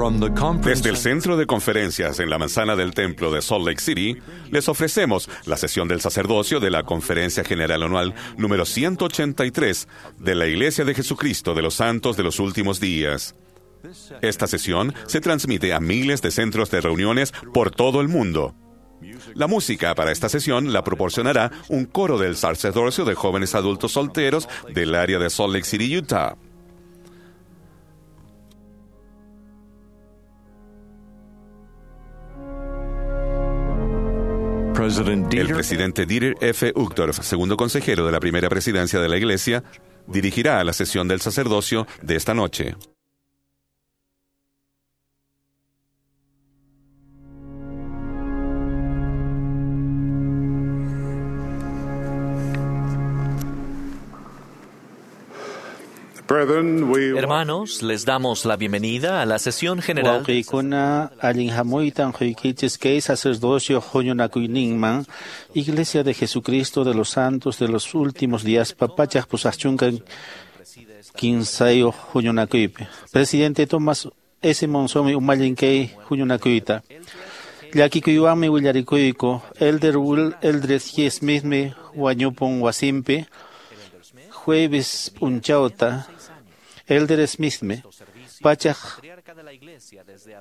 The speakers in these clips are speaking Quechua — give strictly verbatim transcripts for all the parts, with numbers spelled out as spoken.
Desde el Centro de Conferencias en la Manzana del Templo de Salt Lake City, les ofrecemos la sesión del sacerdocio de la Conferencia General Anual número ciento ochenta y tres de la Iglesia de Jesucristo de los Santos de los Últimos Días. Esta sesión se transmite a miles de centros de reuniones por todo el mundo. La música para esta sesión la proporcionará un coro del sacerdocio de jóvenes adultos solteros del área de Salt Lake City, Utah. El presidente Dieter F. Uchtdorf, segundo consejero de la primera presidencia de la Iglesia, dirigirá la sesión del sacerdocio de esta noche. Hermanos, les damos la bienvenida a la sesión general. Wawqiykuna allin hamuytan quykichis kay sacerdocio huñunakuyninman, Iglesia de Jesucristo de los Santos de los Últimos Días, papachaq pusaqchunka kinsayuq huñunakuypi. Presidente Thomas S. Monsonmi umallin kay huñunakuyta. Llakikuywanmi willarikuyku, Elder Will Eldred G. Smithmi wañupun wasinpi, jueves p'unchawta, Elder Smithmi pachaq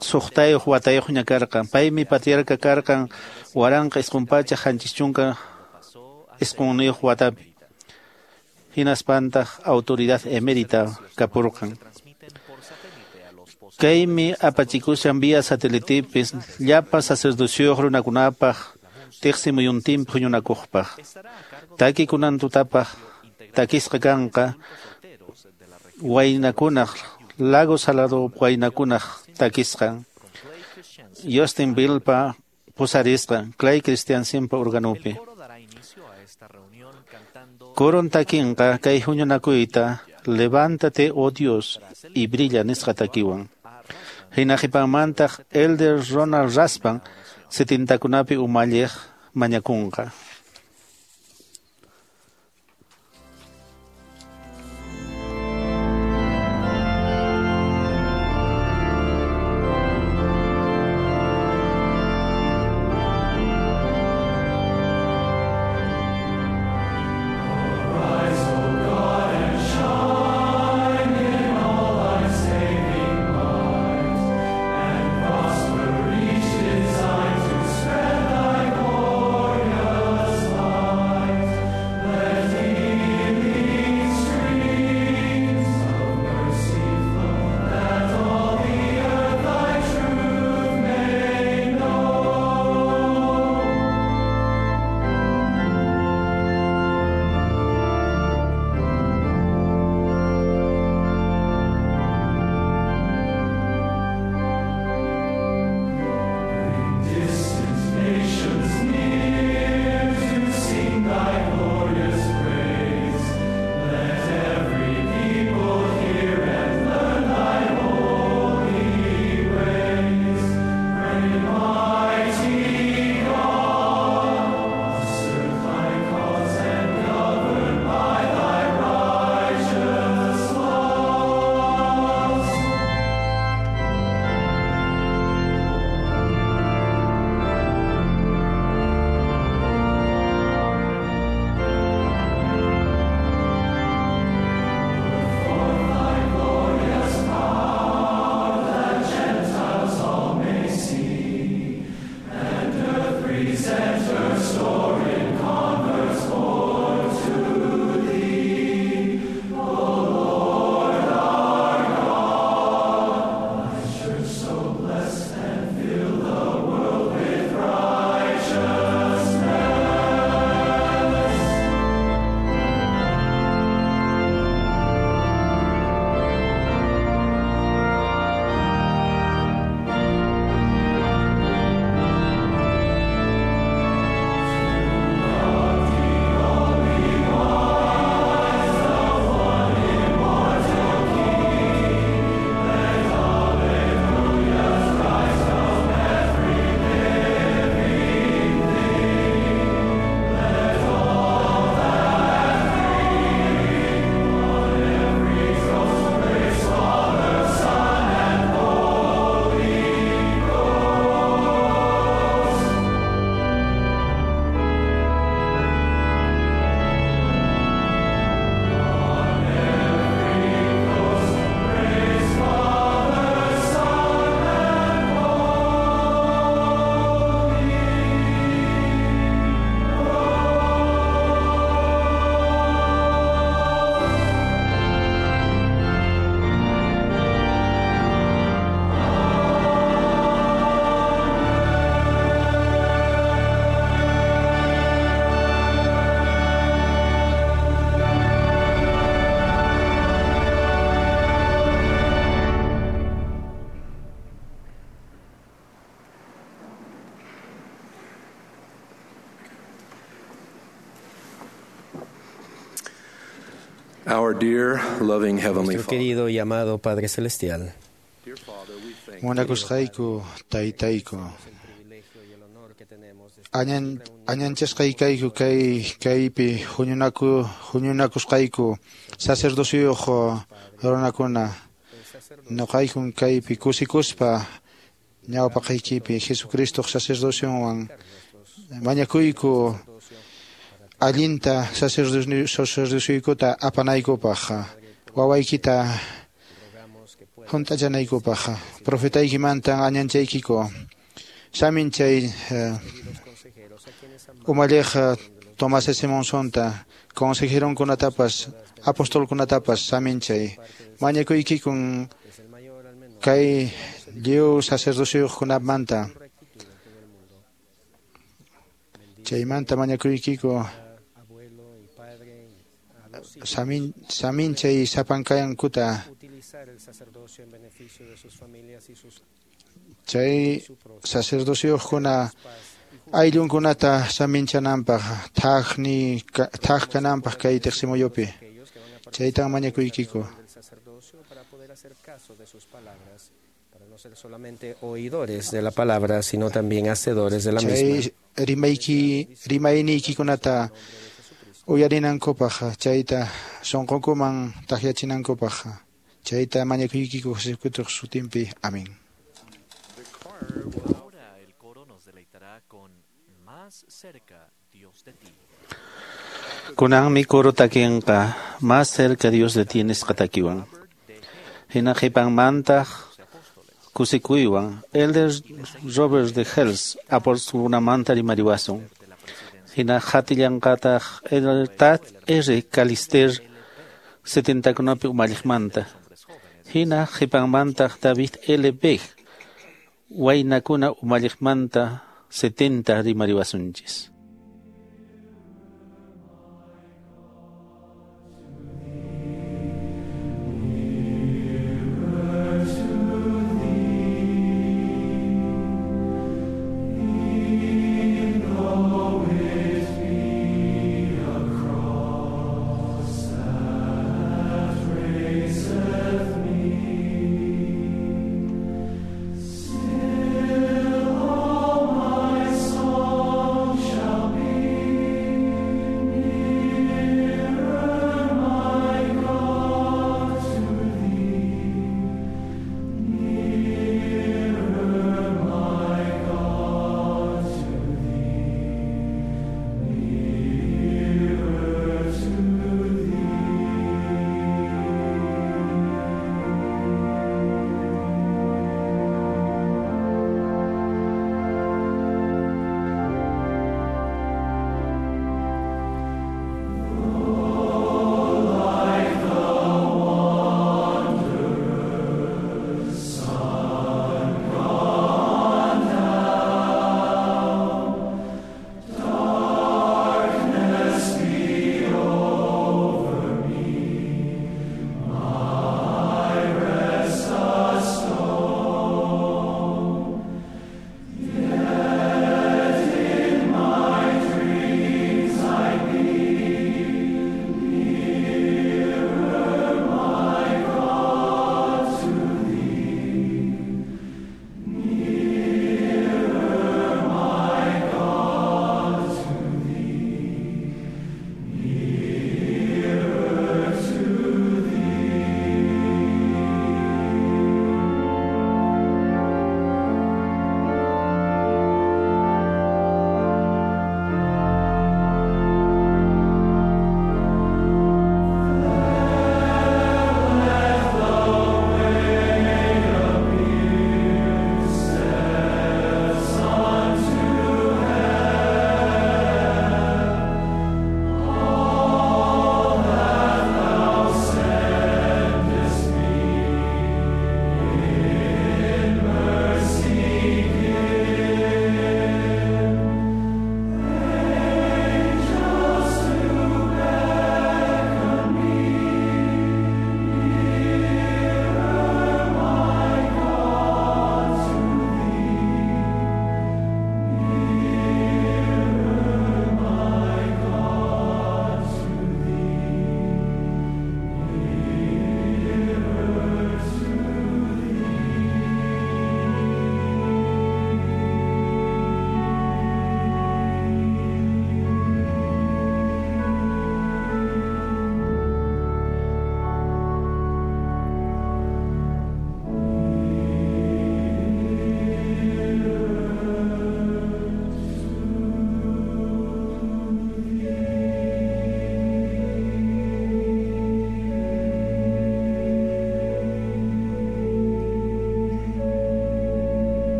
suqtayuq watayuqña karqan. Paymi patriarca karqan waranqa isqun pachaq qanchis chunka isqunniyuq watapi. Hinaspantaq autoridad emérita kapurqan. Kaymi apachikushan vía satelitipis llapa sacerdocioyuq runakunapaq tiqsi muyuntinpi huñunakuqpaq. Takikunan tutapaq takisqa kanqa waynakunaq Lago Salado waynakunaq takisqan Justin Billpa pusarisqan Clay Christiansenpa organopi. Coron takinqa kay huñunakuyta Levántate, oh Dios, y brilla nisqa takiwan. Hina qhipanmantaq Elder Ronald Raspan setintakunapi umalliq mañakunqa. Design to spread thy glorious Our dear, loving Heavenly Nuestro Father, querido y amado Padre Celestial, Munakusqayku taytayku añan añanchasqaykayku kay kaypi huñunaku huñunakusqayku sacerdocioyuq runakuna nuqaykun kaypi kusikuspa ñawpaqaykipi Jesucristoq sacerdocionwan mañakuyku allinta sacerdocioykuta apanaykupaq wawaykita hunt'achanaykupaq profetaykimantan añanchaykiku saminchay umalliq Tomás S. Monsonta consejeronkunatapas apostolkunatapas saminchay mañakuykikun kay lliw sacerdocioyuqkunamanta chaymanta mañakuykiku samin saminchay sapankayankuta chay sacerdocioyuqkuna ayllunkunata saminchananpaq thaqni thaq kananpaq kay tiqsimuyupi chaytan mañakuykiku. Para no ser solamente oidores de la palabra, sino también hacedores de la misma. Chay rimayki rimayniykikunata uyarinankupaq chayta sunqunkuman takyachinankupaq chayta mañakuykiku Jesucristoq sutinpi. Amén. Ahora el coro nos deleitará con Más cerca Dios de ti. Kunanmi coro takinqa más cerca Dios de ti nisqa takiwan. Hina qhipanmantaq kusikuywan Elder Robert de Hels apostolkunamanta rimariwasun. Hina hatillanqataq Elder Tad R. Calister setentakunapi umalliqmanta. Hina qhipanmantaq David L. Beck waynakuna umalliqmanta setenta rimariwasunchis. Shall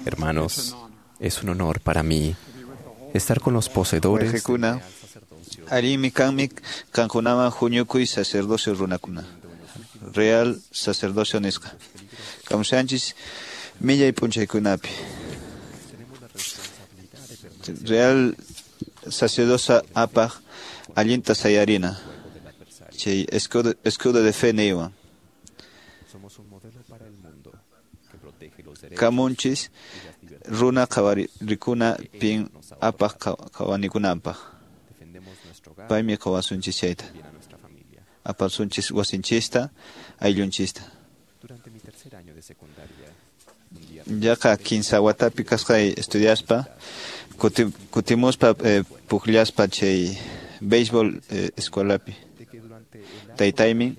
Hermanos, es un honor para mí estar con los poseedores Wayqikuna, allinmi kanmi qankunawan huñukuy sacerdocio runakuna. Real sacerdocio nisqa. Kawsanchis millay p'unchaykunapi. Real sacerdocio apaq allinta sayarina. Chay escudo, escudo de fe niywan. Kamunchis runa qhawarikuna pin apaq qhawanikunanpaq. Paymi qhawasunchis chayta. Apasunchis wasinchista, ayllunchista. Yaqa kinsa watapi kasqay estudiaspa, kuti, kutimuspa eh, pukllaspa chay béisbol eh, escuelapi. Taytaymi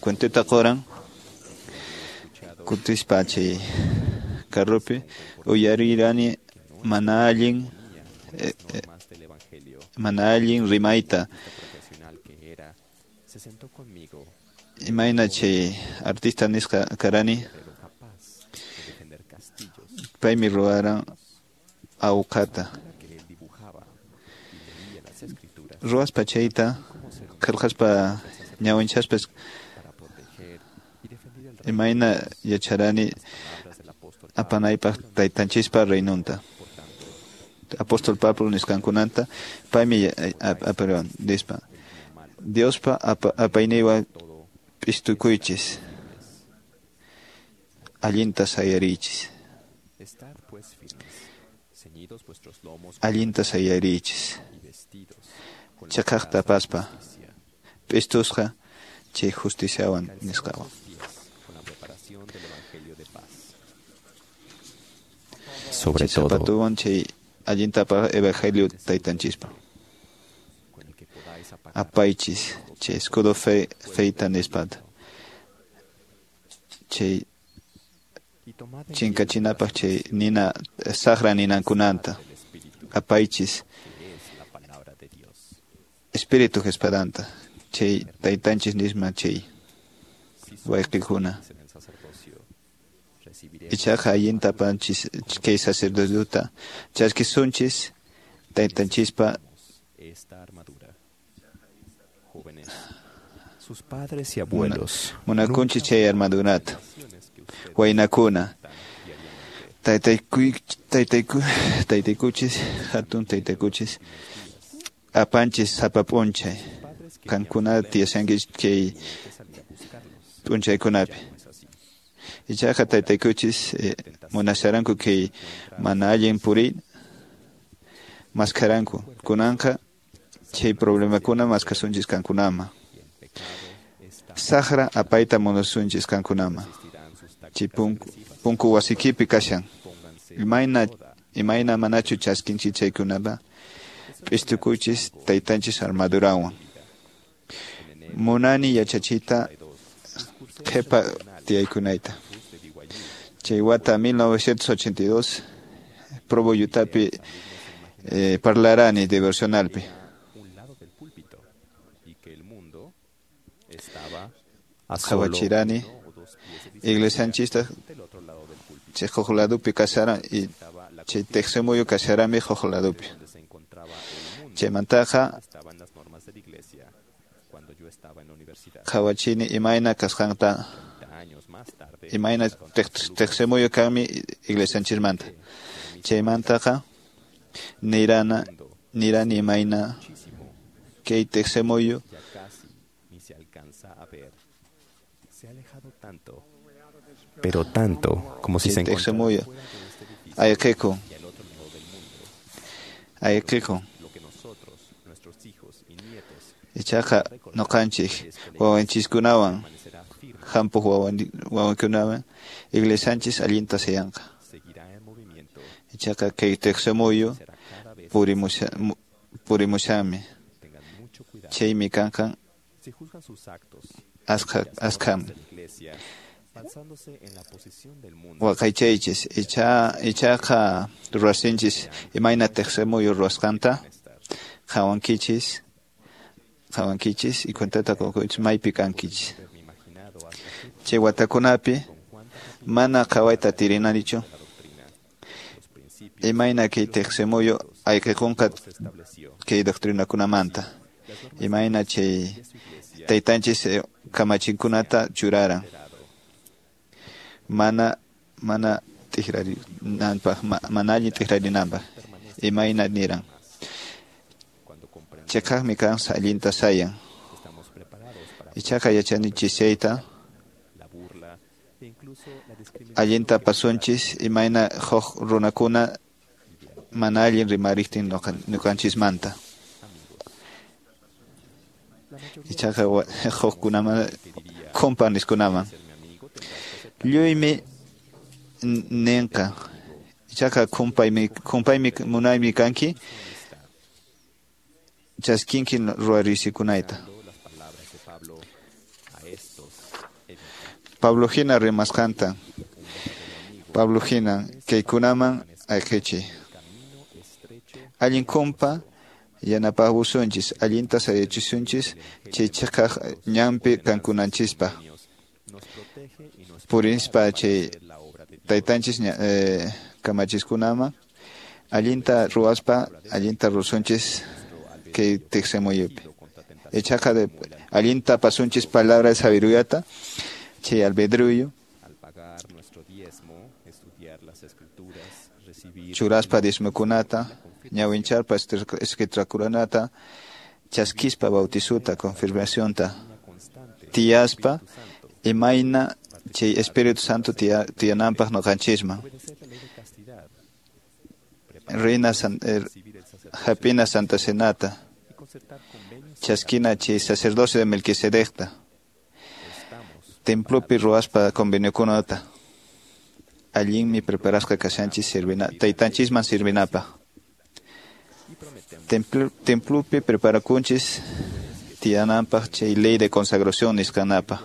cuentota qoran kutispa chay carropi uyarirani mana allin eh, eh, mana allin rimayta. Imayna chay artista nisqa karani paymi ruwaran awqata. Ruwaspa chayta qillqaspa ñawinchaspa imayna yacharani apanaypaq taytanchispa reinonta. Apóstol Pablo nisqankunanta paymi aparan nispa Diospa apayniywan p'istukuychis, allinta sayariychis. Allinta sayariychis. Chaqaqta apaspa p'istusqa chay justiciawan nisqawan. Sobre Chay todo, zapatuwan chay allinta apaq evangelio taytanchispa. Apaychis chay escudo fe feita nispata. Chay chinkachinapaq chay nina saqra ninankunanta. Apaychis espíritu espadanta. Chay taytanchis nisma chay wayqikuna. Ichaqa allinta apanchis kay sacerdotota chaskisunchis taytanchispa esta armadura. Jóvenes, sus padres y abuelos munakunchis chay armadurata. Waynakuna, taytayku taytayku taytaykuchis hatun taytaykuchis apanchis sapa p'unchay qankuna tiyashankichis kay p'unchaykunapi. Ichaqa taytaykuchis eh, munasharanku kay mana allin puriy maskharanku. Kunanqa chay problemakuna maskasunchis qankunama. Saqra apayta munasunchis qankunama. Chay punku, punku wasikipi kashan. Imayna, imayna manachu chaskinchis chaykunapa p'istukuychis taytanchis armadurawan. Munani yachachiyta qhipa tiyaykunayta. Chay wata mil novecientos ochenta y dos Provo Utapi eh, parlarani devocionalpi. Qhawachirani iglesianchista chay huk ladopi kasharan y chay tiqsimuyu kasharami huk ladopi. Chaymantaqa qhawachini imayna kasqanta imayna tiqsimuyu kanmi iglesianchismanta. Chaymantaqa nirana nirani imayna kay tiqsimuyu pero tanto como si se chay tiqsimuyu ayqikun ayqikun. Ichaqa ñuqanchik wawanchiskunawan hampuq wawankunawan iglesianchis allinta sayanqa. Ichaqa kay tiqsimuyu purimushanmi. Chaymi kanqa askha askham. Waqaychaychis icha ichaqa ruwasinchis imayna tiqsimuyu ruwasqanta qhawankichis qhawankichis y cuentata qukuychis maypi kankichis. Chay watakunapi Mana qhawayta atirinanichu. Imayna kay tiqsimuyu ayqikunqa kay doctrinakunamanta. Imayna chay taytanchis kamachinkunata churaran. Mana mana t'ikrarinanpaq, mana allin t'ikrarinanpaq. Imayna niran. Chiqaqmi kan allinta sayan. Ichaqa yachanichis chayta allinta pasunchis imayna huk runakuna mana allin rimariqtin ñuqanchismanta. Ichaqa hukkunaman kumpaniskunaman. Lluymi ninqa. Ichaqa kumpaymi kumpaymi munaymi kanki chaskinki ruwarisikunayta. Pablo hina rimasqanta. Pablo hina kaykunaman ayqichiy. Allin kumpa yanapawasunchis, allinta sayachisunchis chay chiqaq ñanpi kankunanchispaq. Purispa chay taytanchis eh, kamachiskunaman allinta ruwaspa allinta rusunchis kay tiqsimuyupi. Ichaqa de allinta pasunchis palabra de sabiduriyata chay albedruyo churaspa diezmokunata ñawincharpa escriturkunata chaskispa bautizuta confirmacionta tiyaspa imayna chay Espíritu Santo tiyananpaq ñuqanchisman. Reina san, er, hapina Santa Cenata chaskina chay sacerdocio de Melquisedecta templopi ruwaspa conveniokunata allinmi preparasqa kashanchis sirvina taytanchisman sirvinapaq. Templo, templopi preparakunchis tiyananpaq chay ley de consagración nisqanapaq.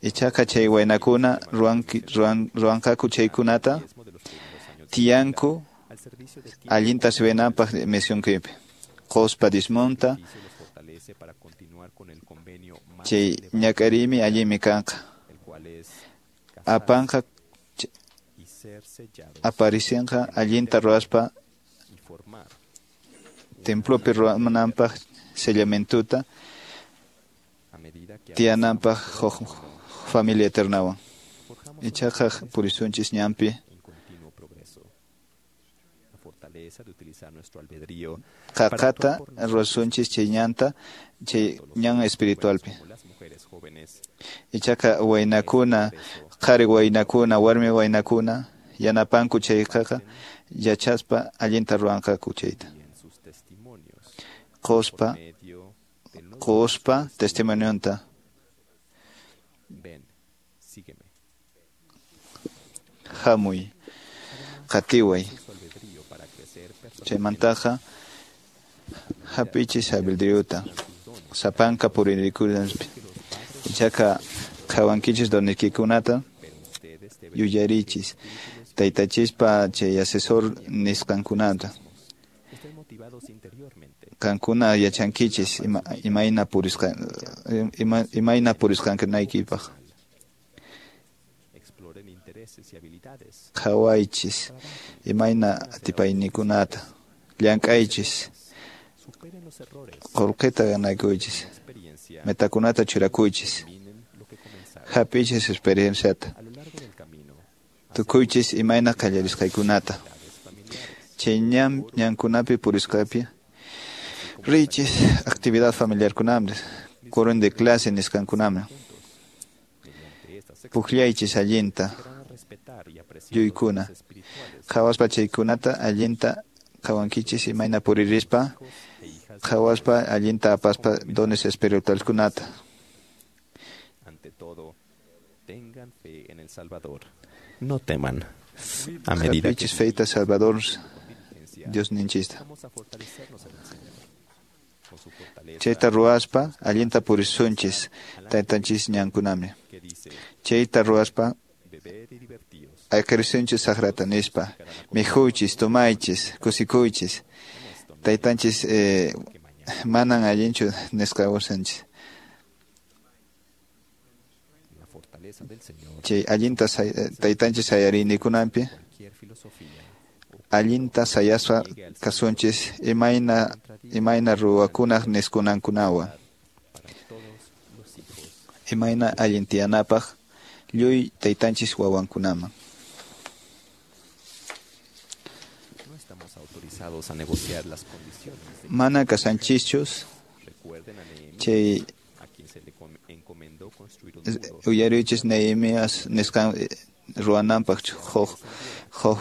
Ichaqa chay waynakuna ruwan ruwanqaku chaykunata tiyanku allinta sirvinanpaq misionkipi. Quspa dismonta chay ñak'ariymi allinmi kanqa. Apanqa aparicinqa allinta ruwaspa templopi ruwananpaq sellamentuta tiyananpaq huk familia eternawan. Ichaqa purisunchis ñanpi qaqata ruwasunchis chay ñanta chay ñan espiritualpi. Ichaqa waynakuna, qhari waynakuna, warmi waynakuna yanapanku chayqaqa yachaspa allinta ruwanqaku chayta. Quspa quspa testimonionta. Hamuy, qatiway. Chaymantaqa hap'ichis albedriuta sapanka puririkunapi. Ichaqa qhawankichis doniykikunata yuyarichis taytachispa chay asesor nisqankunata. Qankuna yachankichis ima, imayna purisqan ima, imayna purisqankunaykipaq. Qhawaychis imayna atipaynikunata llank'aychis qullqita ganakuychis metakunata churakuychis hap'ichis experienciata tukuychis imayna qallarisqaykunata chay ñan ñankunapi purisqapi riychis actividad familiarkunaman qurum de clase nisqankunaman pukllaychis allinta yuykuna qhawaspa chaykunata allinta qhawankichis imayna puririspa qhawaspa allinta apaspa dones espiritualkunata. Ante todo, tengan fe en el Salvador. No teman. A medida que feita Salvador Dios ninchista. Chayta ruwaspa allinta purisunchis taytanchis ñankunami. Chayta ruwaspa ayqirisunchis saqrata nispa mikhuychis tomaychis kusikuychis taytanchis eh, manan allinchu nisqa wasanchis. Chay allinta taytanchis sayariyninkunapi allinta sayaspa kasunchis imayna imayna ruwakunaq nisqankunawan imayna allin tiyanapaq lluy taytanchis wawankunaman. Mana kasanchischus chay uyariychis Nehemías nisqan ruwananpaq huk huk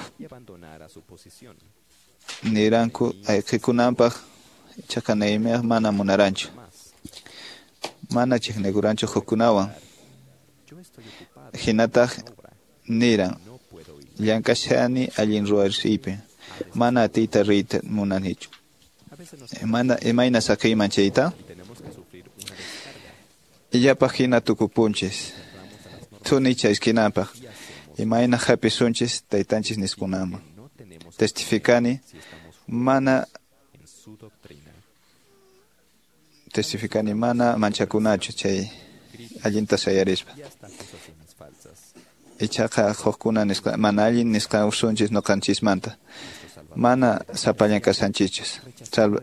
niranku ayqikunanpaq ichaqa Nehemías mana munaranchu mana chiqnikuranchu hukkunawan hinataq niran llank'ashani allin ruwarisiypi mana atiyta riyta munanichu imayna imayna saqiyman chayta illapaq hina tukupunchis thuni chayskinapaq imayna hapisunchis taytanchis niskunaman testificani mana testificani mana manchakunachu chay allinta sayarispa ichaqa hukkuna nisqa mana allin nisqa usunchis ñuqanchismanta mana sapallan kasanchischus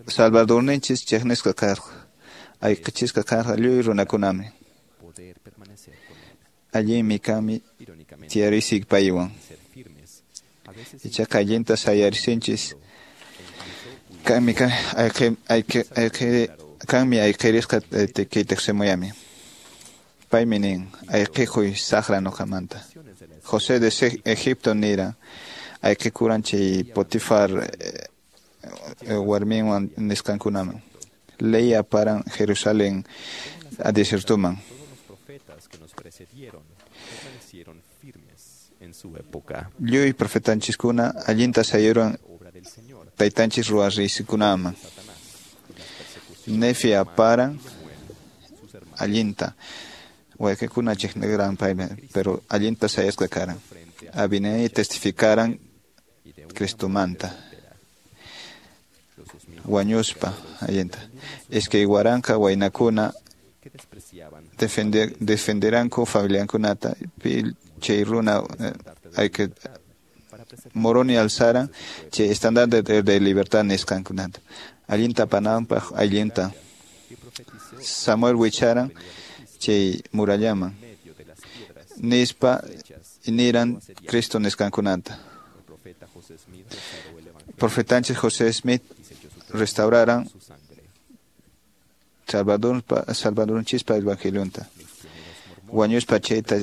Salvadorninchis chiqnisqa karqa ayqichisqa karqa lluy runakunami allinmi kanmi tiyarisik paywan ichaqa allinta sayarisinchis kanmi ayqi ayqi ayqi kanmi ayqirisqa kay tiqsimuyami paymi nin ayqikuy saqra ñuqamanta José de Egipto nira ayqikuran chay Potifar warminwan nisqankunaman ley aparan Jerusalén a desiertuman. Lluy profetanchiskuna allinta sayuran taytanchis ruwarisikunaman Nefi aparan allinta wayqikuna chiqniran paymi pero allinta sayasqa karan Abinei testificaran Cristomanta wañuspa allinta iskay waranqa waynakuna defender defenderanku familiankunata pi chay runa hay que Moroni alzaran chay estandarte de, de libertad nisqankunata allinta pananpaq allinta Samuel wicharan chay murallaman nispa niran Cristo nisqankunata profetanchis José Smith restauraran Salvador Salvadornchispa evangelionta wañuspa chayta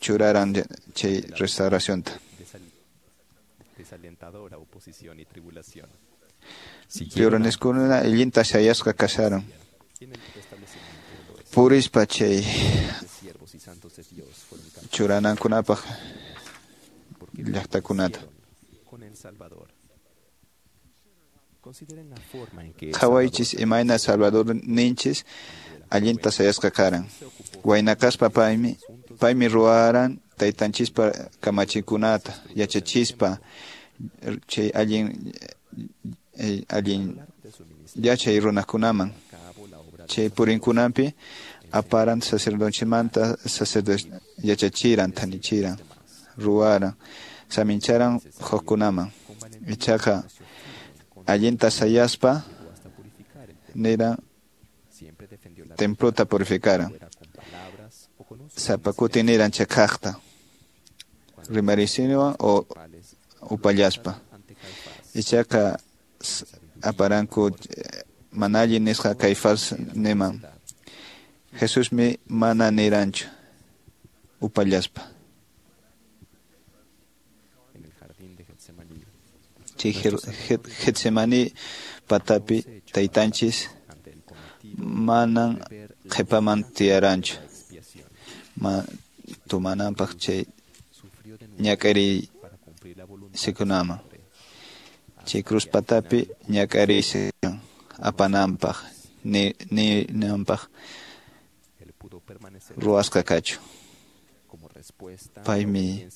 churaran chay restauracionta Lloroneskununa allinta sayasqa kasaron purispa chay churanankunapaq llaqtakunata Qhawaychis imayna Salvador ninchis allinta sayasqa karan wayna kaspa paymi paymi ruwaran taytanchispa kamachikunata yachachispa chay allin allin yachay runakunaman chay purinkunanpi aparan sacerdochimanta sacerdote yachachiran thanichiran ruwaran samincharan hukkunaman ichaqa allinta sayaspa niran templota purificaran sapa kuti niran chakaqta rimarisiniwan o upallaspa ichaqa aparanku mana allin nisqa Caifás niman Jesusmi mana niranchu upallaspa chay Getsemani patapi taytanchis manan qhipaman tiyaranchu ma tumananpaq chay ñak'ariy sikunaman chay cruz patapi ñak'ariysikan apananpaq ni ninanpaq ruwasqa kachu paymi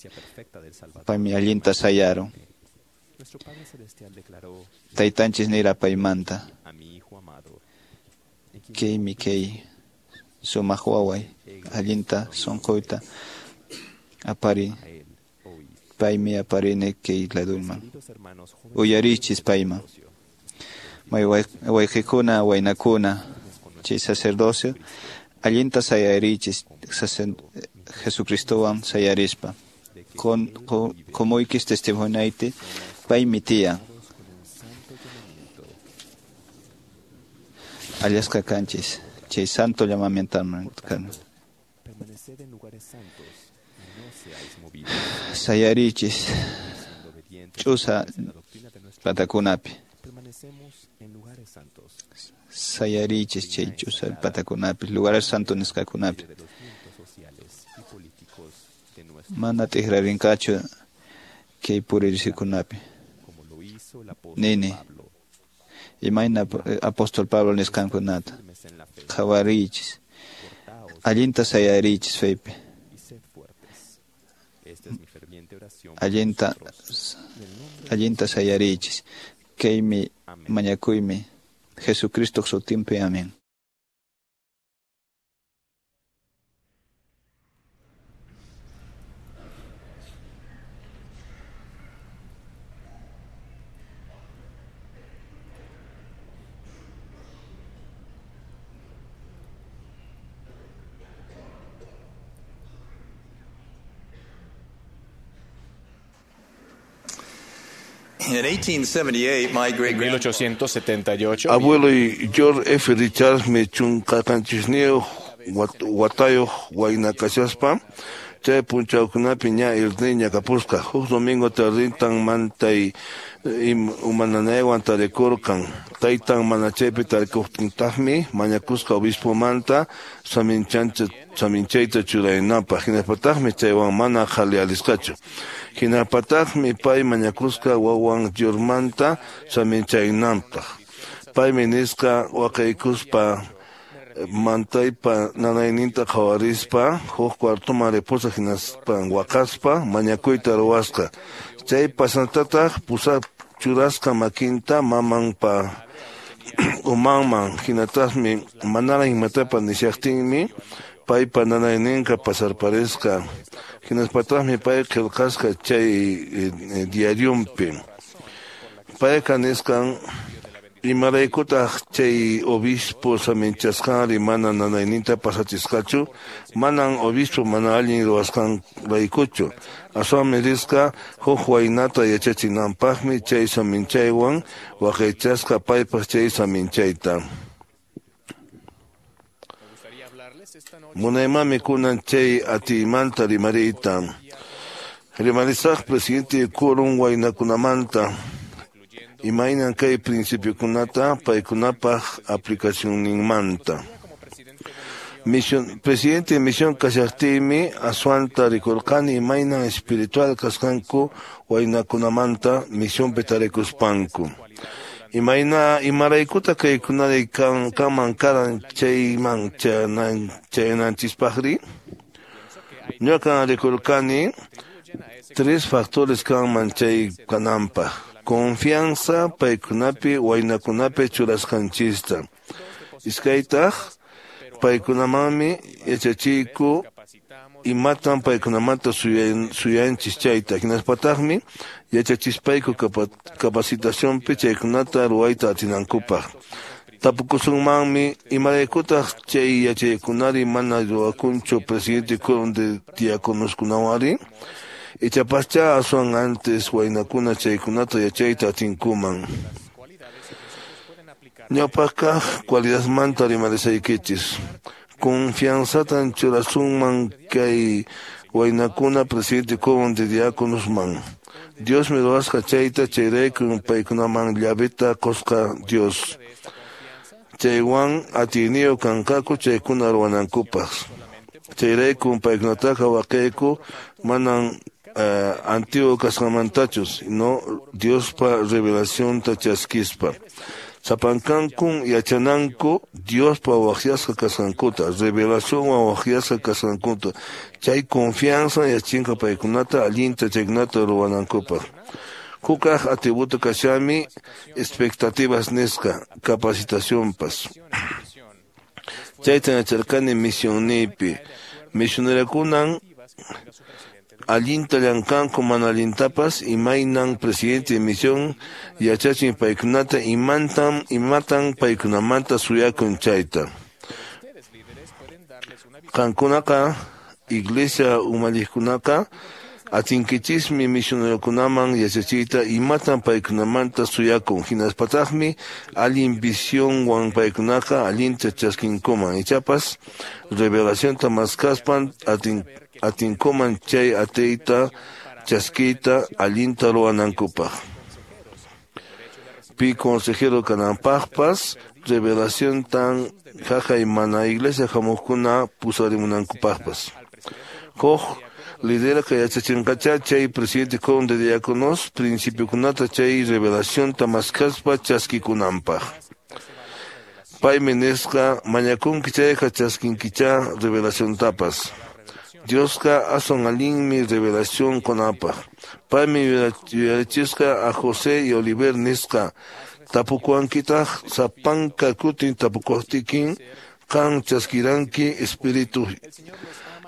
paymi allinta sayaron taytanchis nira paymanta kaymi kay Sumaq waway, allinta sunquyta apariy. Paymi aparini kay laduyman. Uyarichis payman. May wayqikuna, waynakuna, chay sacerdocio, allinta sayarichis Jesucristowan sayarispa. Con, con, komuykis testimonioyti, paymi tiyan. Allasqa kanchis, chay santo llamamientoman. Sayarichis, ch'usa patakunapi. Sayarichis chay ch'usa patakunapi, lugares santo nisqakunapi. Mana t'ikrarinqachu kay puririkunapi. Nini, imayna apóstol Pablo nisqankunata. Qhawariychis, allinta sayarichis feypi. Allinta, allinta sayarichis. Kaymi mañakuymi Jesucristo sutinpi. Amén. En mil ochocientos setenta y ocho, abuelo George F. Richards me chunqaqanchisniyuq watayuq waynakashaspa chay punchawkunapi ña irniña kapusqa. Huk domingo tardintan mantay umananaywan tarikurqan. Taytan mana chaypi tarikuqtintaqmi mañakusqa obispomanta saminchayta churaynanpaq. Hinapataqmi chaywan mana qhalialisqachu. Hinapataqmi pay mañakusqa wawan Georgemanta saminchaynanpaq. Paymi nisqa waqaykuspa mantaypa nanayninta qhawarispa huk cuartoman ripusa hinaspa waqaspa mañakuyta ruwasqa. Chay pasantataq pusa churasqa makinta mamanpa umanman hinataqmi manaraq imatapas nishaqtinmi paypa nanayninqa pasarparisqa. Hinaspataqmi pay qillqasqa chay diarionpi. Payqa nisqan imaraykutaq chay obispo saminchasqanri mana nanayninta pasachisqachu, manan obispo mana allin ruwasqanraykuchu. Aswanmi risqa huk waynata yachachinanpaqmi chay saminchaywan waqaychasqa paypaq chay saminchayta. Munaymanmi kunan chay atiymanta rimariyta. Rimarisaq presidente quórum waynakunamanta. Imaynan kay principiokunata paykunapaq aplicacionninmanta. Misión, presidente misión kashaqtiymi aswanta rikurqani imaynan espiritual kasqanku waynakunamanta misionpi tarikuspanku. Imayna imaraykuta kaykunari kan kanman karan chayman chayanan chayananchispaqri? Ñuqan rikurqani tres factores kanman chay kananpaq. Confianza paykunapi waynakunapi churasqanchista. Iskaytaq paykunamanmi yachachiyku imatan paykunamanta suyanchis chayta. Hinaspataqmi yachachispayku capacitacionpi chaykunata ruwayta atinankupaq. Tapukusunmanmi imaraykutaq chay yachaykunari mana ruwakunchu presidente quórum de diáconoskunawari. Ichapascha aswan antes waynakuna chaykunata yachayta atinkuman. Ñawpaqkaq cualidadmanta rimarisaykichis. Confianzatan churasunman kay waynakuna presidente quórum de diáconosman. Diosmi ruwasqa chayta chayraykun paykunaman llaveta qusqa Dios. Chaywan atiyniyuq kanqaku chaykuna ruwanankupaq. Chayraykun paykunataqa waqayku manan Uh, antiguo kasqamantachus, no Diospa revelacionta chaskispa. Sapankankun yachananku Diospa waqyasqa kasqankuta, revelacionwan waqyasqa kasqankuta. Chay confianza yachinqa paykunata allinta chaykunata ruwanankupaq. Hukaq atributo kashami expectativas nisqa capacitacionpas. Chaytan yacharqani misionniypi. Misionerakunan allinta llamkanku mana allintapas imaynan presidente de misión yachachin paykunata imantan imatan paykunamanta suyakun chayta. Qankunaqa iglesia umalliqkunaqa atinkichismi misionerokunaman yachachiyta imatan paykunamanta suyakun hinaspataqmi allin visionwan paykunaqa allinta chaskinkuman ichapas revelacionta maskaspan atin atinkuman chay atiyta chaskiyta allinta ruwanankupaq. Pi consejero kananpaqpas revelaciontan haqay mana iglesia hamuqkuna pusarimunankupaqpas. Huk liderqa yachachinqacha chay presidente quórum de diáconos principiokunata chay revelacionta maskaspa chaskikunanpaq. Paymi nisqa mañakunki chayqa chaskinkicha revelaciontapas. Diosqa aswan allinmi revelación kunapaq. Paymi yuyarichisqa a José y Oliver nisqa tapukuwankitaq sapanka kutin tapukuqtiykin qan chaskiranki espíritu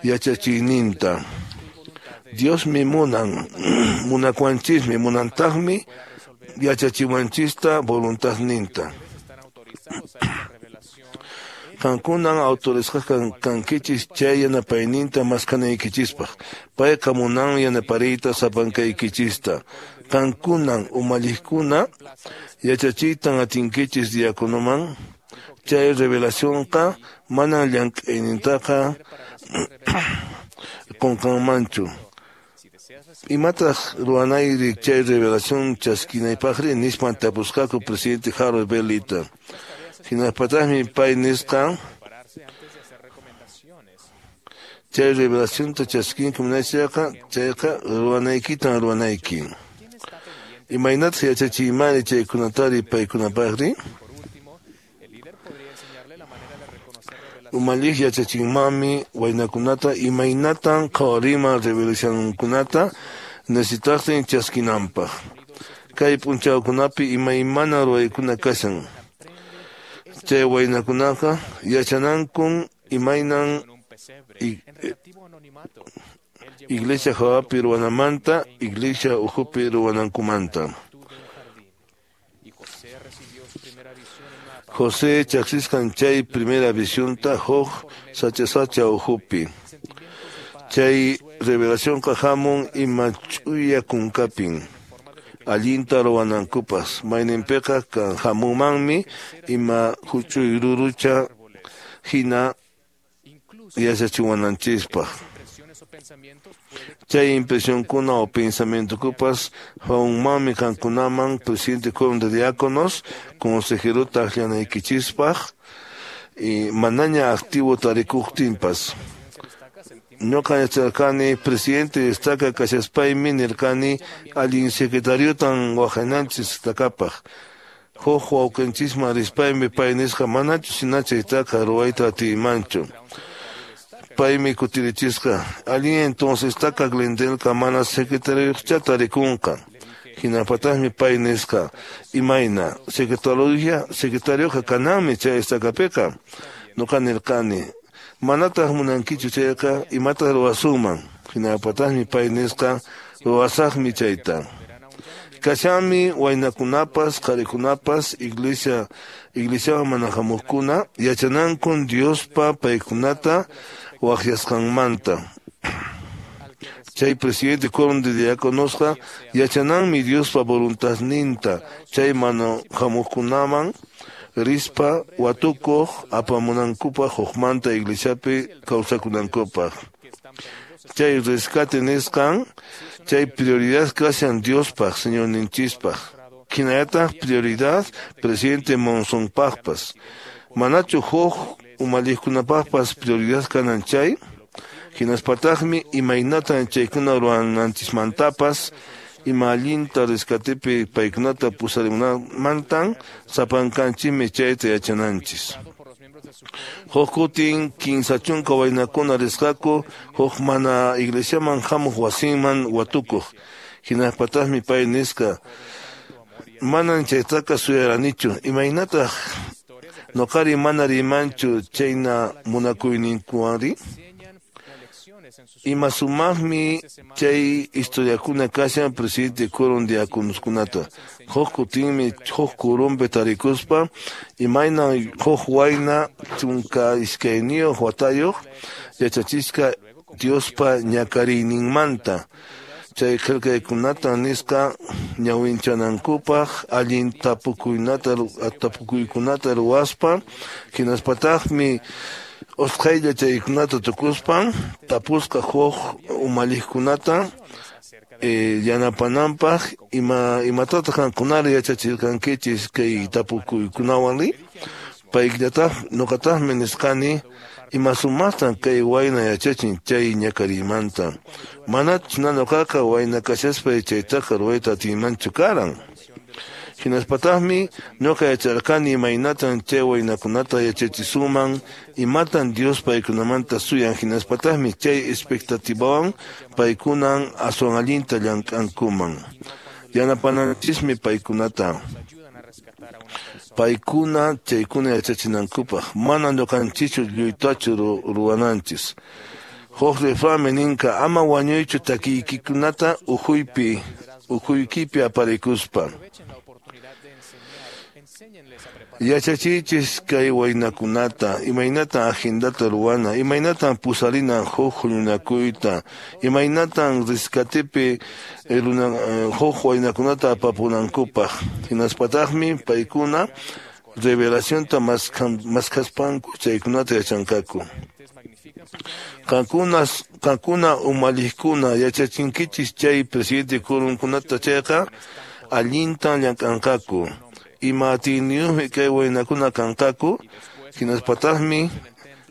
yachachiyninta. Diosmi munan, munakuwanchismi, munantaqmi yachachiwanchista voluntadninta. Qankunan autorizasqa kankichis chay yanapayninta maskanaykichispaq. Payqa munan yanapariyta sapankaykichista. Qankunan umalliqkuna yachachiytan atinkichis diáconoman. Chay revelacionqa manan llank'aynintaqa qunqanmanchu. Imataq ruwanayri chay revelación chaskinaypaqri nispan tapusqaku presidente Harold B. Lita. Hinaspataqmi pay nisqa chay revelacionta chaskinki munaychayqa chayqa ruwanaykitan ruwanayki. Imaynataq yachachiymani chaykunatari paykunapaqri? Umalliq yachachinmanmi waynakunata imaynatan qhawariman revelacionkunata necesitaqtin chaskinanpaq. Kay p'unchawkunapi imaymana ruwaykuna kashan. Chay waynakunaqa yachanankun imaynan iglesia hawapi ruwanamanta, iglesia ukhupi ruwanankumanta. José chaksisqan chay primera visionta huk sacha-sacha ukhupi. Chay revelacionqa hamun ima ch'uya kunkapin. Allinta ruwanankupas mayninpiqa hamunmanmi ima huch'uy rurucha hina yachachiwananchispaq. Chay impresionkuna o pensamientokupas hamunmanmi qankunaman presidente quórum de diáconos consejerota akllanaykichispaq y manaña activo tarikuqtinpas. Ñuqa yacharqani presidente destaca kashaspaymi nirqani allin secretariotan waqananchis estakapaq. Huk wawqinchisman rispaymi pay nisqa manachu hinacha chaytaqa ruwayta atiymanchu. Paymi kutirichisqa allin entonces estaca Glendelqa mana secretariocha tarikunqa. Hinapataqmi pay nisqa imayna secretaria secretarioqa kananmi chay estacapiqa. Ñuqa nirqani manataq munankichu chayqa imataq ruwasunman. Hinapataqmi pay nisqa ruwasaqmi chayta. Kashanmi waynakunapas qharikunapas iglesia iglesiaman mana hamuqkuna yachanankun Diospa paykunata waqyasqanmanta. Chay presidente quórum de diáconosqa yachananmi Diospa voluntadninta chay mana hamuqkunaman rispa watukuq apamunankupaq hukmanta iglesiapi kawsakunankupaq. Chay rescate nisqan chay prioridad kashan Diospaq Señorninchispaq. Hinallataq prioridad presidente Monsonpaqpas. Manachu huk umalliqkunapaqpas prioridad kanan chay? Hinaspataqmi imaynatan chaykuna ruwananchismantapas ima allinta rescatepi paykunata pusarimunamantan sapankanchikmi chayta yachananchis. Huk kutin kinsa chunka waynakuna risqaku huk mana iglesiaman hamuq wasinman watukuq. Hinaspataqmi pay nisqa manan chaytaqa suyaranichu imaynataq Noqari mana rimanchu chayna munakuyninkuwanri? Ima sumaqmi chay historiakuna kashan presidente quórum diáconoskunata. Huk kutinmi huk quórumpi tarikuspa imayna huk wayna chunka iskayniyuq watayuq yachachisqa Diospa ñakariyninmanta. Chay qillqaykunata nisqa ñawinchanankupaq allin tapukuynata tapukuykunata ruwaspa hinaspataqmi usqhaylla chaykunata tukuspan tapusqa huk umalliqkunata eh, yanapananpaq ima imatataq qankunari yachachirqankichis kay tapukuykunawanri? Payllataq ñuqataqmi nisqani ima sumaqtan kay wayna yachachin chay ñakariymanta. Manachu ñuqaqa wayna kashaspa chaytaqa ruwayta atiymanchu karan. Hinaspataqmi ñuqa yacharqani imaynatan chay waynakunata yachachisuman, imatan Dios paykunamanta suyan, hinaspataqmi chay expectativawan paykunan aswan allinta llank'ankuman. Yanapananchismi paykunata. Paykuna chaykuna yachachinankupaq mana ñuqanchischu lluytachu ruwananchis. Huk refranmi ninqa ama wañuychu takiykikunata ukhuypi ukhuykipi aparikuspa. Yachachiychis kay waynakunata imaynatan agendata ruwana, imaynatan pusarina huk huñunakuyta, imaynatan rescatepi huk waynakunata apapunankupaq. Hinaspataqmi paykuna revelacionta maskhaspanku chaykunata yachanqaku. Qankuna qankuna umalliqkuna yachachinkichis chay presidente quórumkunata chayqa allintan llank'anqaku. Ima atiyniyuqmi kay waynakuna kanqaku, hinaspataqmi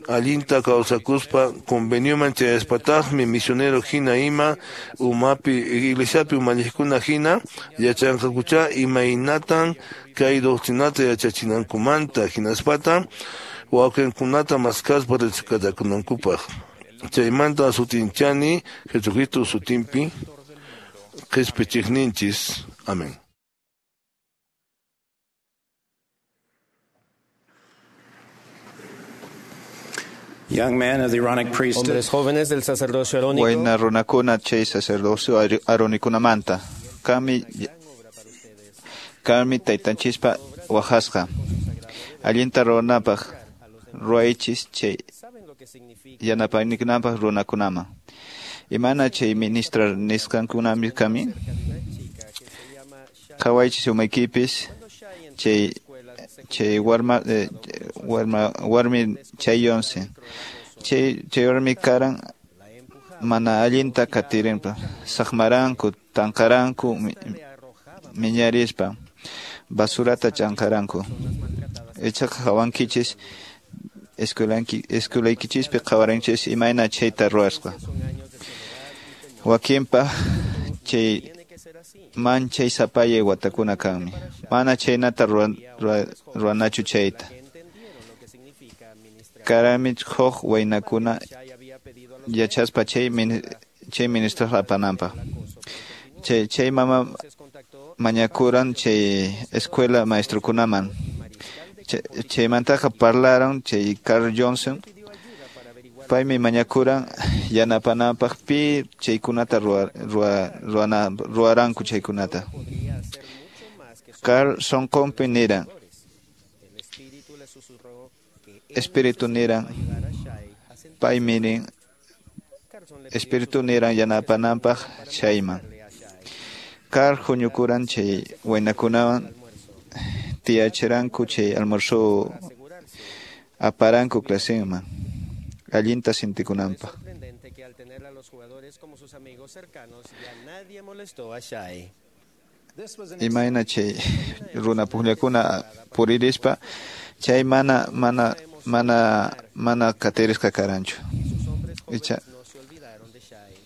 allinta kawsakuspa convenioman chayaspataqmi misionero hina ima umapi iglesiapi umalliqkuna hina yachanqakucha imaynatan kay doctrinata yachachinankumanta hinaspata wawqinkunata maskaspa rescatakunankupaq. Chaymanta sutinchani Jesucristo sutinpi qispichiqninchis. Amén. Young men of the Aaronic priesthood. Hombres jóvenes del sacerdocio arónico. Wayna runakuna chay sacerdocio aronikunamanta. Kami kami taytanchispa wajasqa. Allinta ruwanapaq ruwaychis chay yanapaynikunapaq runakunaman. Imana chay ministrar nisqankunami kami? Qhawaychis umaykipis chay chay warma eh, warma warmi chay yonse chay chay warmi karan mana allinta katirinpa saqmaranku tanqaranku miñarispa basurata chanqaranku ichaqa qhawankichis escuelanki escuelaykichispi qhawaranchis imayna chayta ruwasqa wakinpa chay manchay sapayay watakuna kanmi mana chaynata ruwanachu chayta karami huk waynakuna yachaspa chay chay ministro apananpaq chay chay mama mañakuran chay escuela maestrokunaman chaymantaqa parlaron chay Carl Johnson paymi mañakuran yanapananpaq pi chaykunata ruwa ruwaranku chaykunata Carl sonqonpi niran espíritu niran paymi nin espíritu niran yanapananpaq chayman Carl huñukuran chay waynakunawan tiyachiranku chay almuerzo aparanku claseman allinta sintikunanpaq. Imayna chay runa pukllakuna puririspa chay mana mana mana mana qatirisqa karanchu icha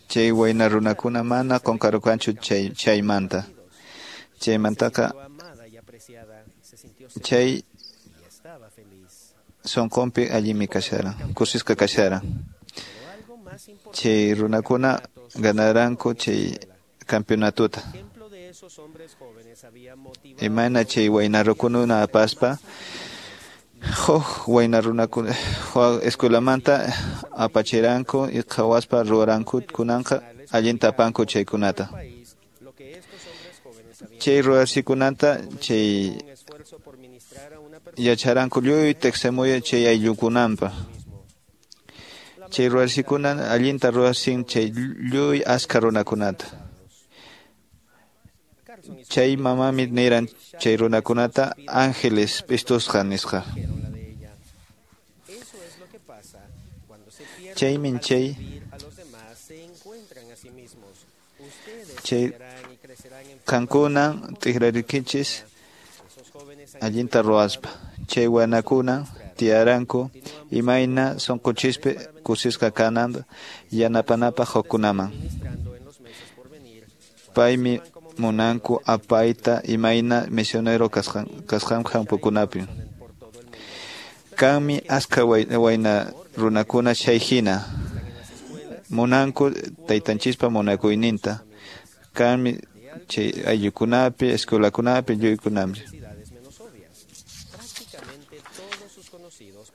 chay wayna runakuna mana qunqarqanchu chay chaymanta chaymantaqa chay sonqonpi allinmi kasharan kusisqa kasharan chay runakuna ganaranku chay campeonatuta imayna chay wayna rukununa apaspa Huk wayna runakuna escuelamanta apachiranku y qhawaspa ruwaranku kunanqa allinta apanku chaykunata. Chay ruwasikunata chay yacharanku lluy teqsemuya chay ayllukunanpa. Chay ruwasikuna allinta ruwasin chay lluy askha runakunata. Chay mamami niran chay runakunata ángeles pistusqa nisqa. Chaymin chay chay qankuna tikrarikichis allinta ruwaspa. Chay wanakuna tiyaranku imayna sunquchispi kusisqa kanan yanapanapaq hukkunaman. Paymi munanku apayta imayna misionero kasqan kasqan hampukunapi. Kanmi askha wayna runakuna chay hina munanku taytanchispa munakuyninta. Kanmi chay ayllukunapi, escuelakunapi, lluykunapi.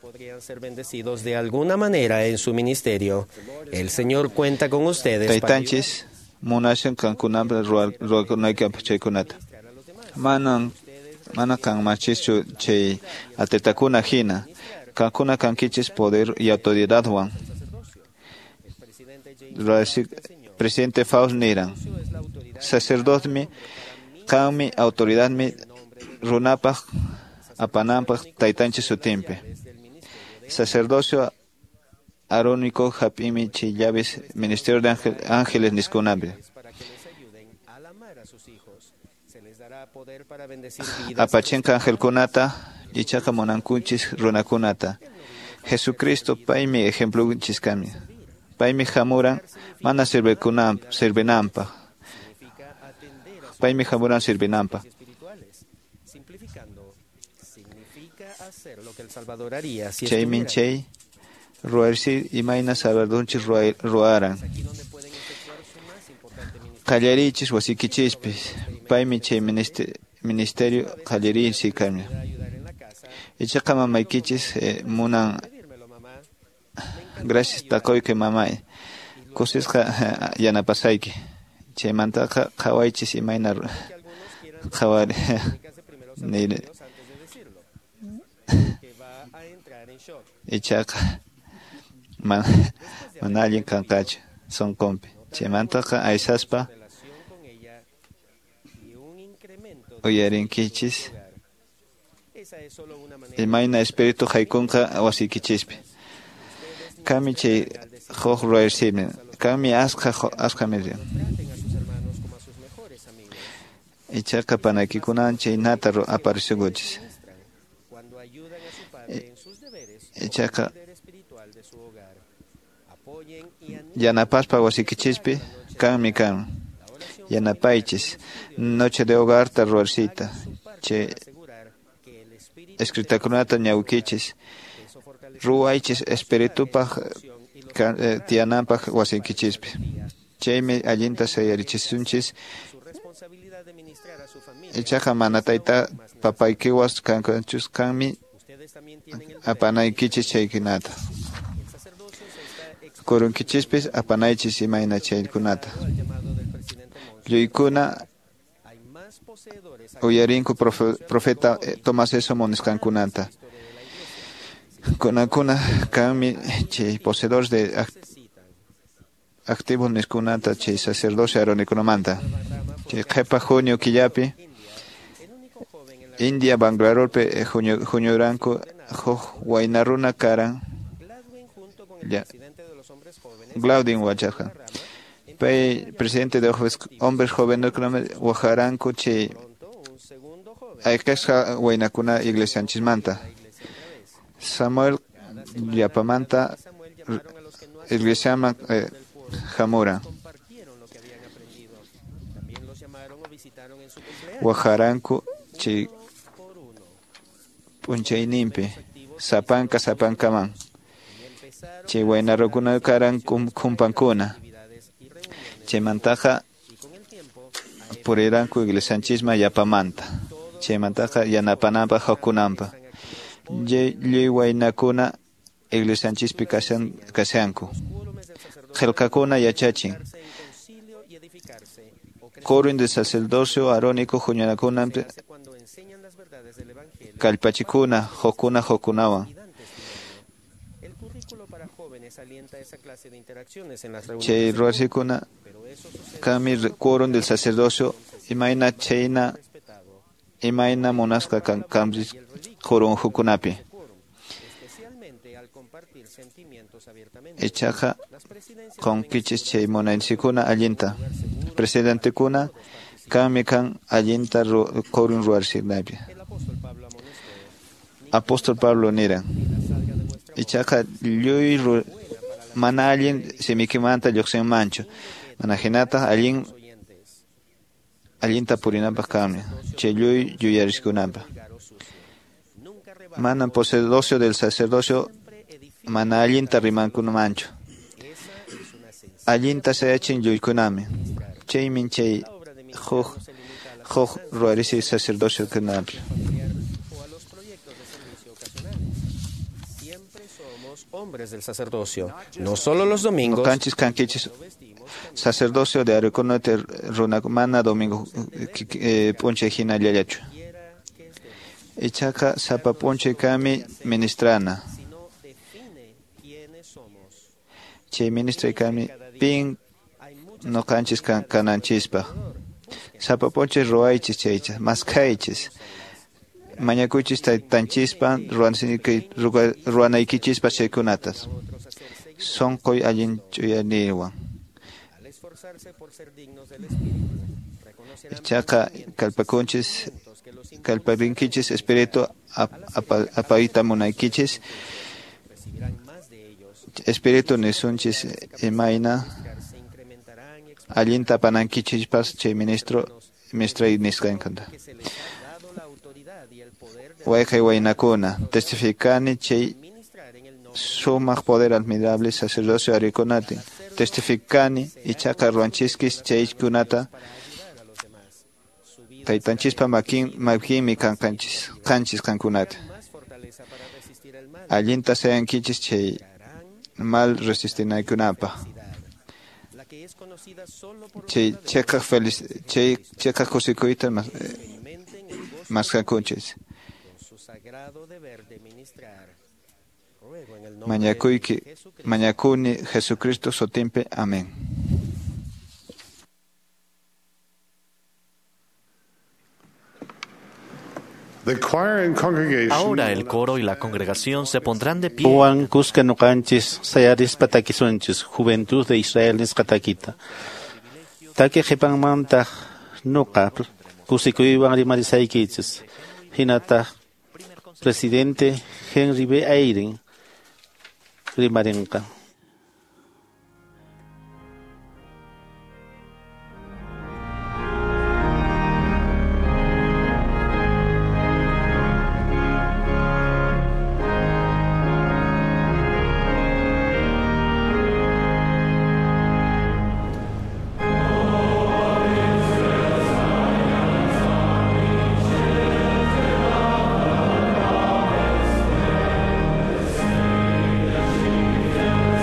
Podrían ser bendecidos de alguna manera en su ministerio. El Señor cuenta con ustedes. Taytanchis munashan qankunapi ruwakunaykipa chaykunata. Manan mana kanmachischu chay atletakuna hina. Qankuna kankichis poder y autoridadwan. Presidente Faust niran. Sacerdotemi qanmi autoridadmi runapaq apananpaq taytanchis sutinpi. Sacerdocio arónico hap'imi chay llaves ministerio de ángel, ángeles niskunapi. Apachinqa angelkunata ichaqa munankunchis runakunata. Jesucristo paymi ejemplunchis kami. Paymi hamuran mana sirvikunanpaq, sirvinanpaq. Paymi hamuran sirvinanpaq. Chaymin chay ruwarsi imayna Salvadorchis ruwaran. Qallariychis wasikichispis. Paymi chay ministerio qallariysi kami. Ichaqa mamaykichis eh, munan gracias taquyki mamay. Kusisqa yanapasayki. Chaymantaqa qhawaychis imayna qhawari nir. Ichaqa mana mana allin kanqachu sunqunpi. Chaymantaqa aysaspa uyarinkichis imayna espíritu haykunqa wasiykichispi. Kami chay huk ruwaysimi. Kami askha askha miri. Ichaqa panaykikunan chaynata aparisukuchis. Ichaqa yanapaspa wasikichispi kanmi kan. Yanapaychis noche de hogarta ruwarsita. Chay escritakunata ñawkichis. Ruwaychis espiritupaq tiyananpaq wasiykichispi. Chaymi allinta sayarichisunchis. Ichaqa mana tayta papaykiwas kankanchus kanmi apanaykichis chaykunata. Kurunkichispis apanaychis imayna chaykunata. Lluykuna uyarinku profeta Tomás Esomo nisqankunata. Kunakuna kanmi chay poseedores de activos nisqankunata chay sacerdocio aaronikunamanta. Chay qhipa junio killapi India Banglarolpe huñuranku huk wayna runa karan Glaudin wacharqa. Pay presidente de hombres jóvenes wajaranku chay ayqisqa waynakuna iglesianchismanta. Samuel llapamanta iglesiaman eh, hamuran. Wajaranku chay p'unchayninpi sapanka sapankaman. Chay waynarukuna karan kumpankuna. Chaymantaqa puriranku iglesianchisman yapamanta. Chaymantaqa yanapananpaq hukkunanpaq. Lliw waynakuna iglesianchispi kashan kashanku. Qillqakuna yachachin. Quórum del sacerdocio aarónico huñunakunanpi kallpachikuna hukkuna hukkunawan. Chay ruwasikuna kanmi quórum del sacerdocio imayna chayna imayna munasqa kan kanpis quórum hukkunapi. Ichaqa qunkichis chay munaysikuna allinta. Presidentekuna kanmi kan allinta quórum ruwarisinapi. Apóstol Pablo niran. Ichaqa lluy mana allin simikimanta lluqsinmanchu. Mana hinataq allin allinta purinapaq kanmi. Chay lluy yuyariskunapaq. Mana posedocio del sacerdocio mana allinta rimankunamanchu. Allinta sayachin lluykunami. Chaymin chay huk huk ruwarisi sacerdocio kunapi. Hombres del sacerdocio, no solo los domingos. Kanchis kankichis sacerdocio de arukunata runa mana domingo p'unchay hina llallachu. Ichaqa sapa p'unchay kami ministrana. Chay ministray kami pin noqanchis kananchispaq. Sapa p'unchay ruwaychis chaycha, maskaychis. Mañakuychis taytanchispa ruwanaykichispa chaykunatas. Sunquy allin ch'uyaniwan. Ichaqa kallpakunchis kallparinkichis espíritu apayta munaykichis. Espíritu nisunchis imayna allinta apanankichishpas chay ministro ministray nisqankanta. Wayqay waynakuna testificani chay sumaq poder admirable sacerdocio arikunati. Testificani ichaqa ruwanchiskis chaykunata taytanchispa makin makinmi kanqanchis qanchis qankunata. Allinta sayankichis chay mal resistinaykunapaq. Chay cheqaq feliz chay cheqaq kusikuyta maskakunchis. Mañakuyki mañakuni Jesucristo sutinpi. Amén. Ahora el coro y la congregación se pondrán de pie. Juan kuska nuqanchis sayarispa takisunchis Juventud de Israel nisqa takita. Taki qhipanmantaq nuqa kusikuywan rimarisaykichis. Hinataq presidente Henry B. Eyring rimarinqa. Thank you.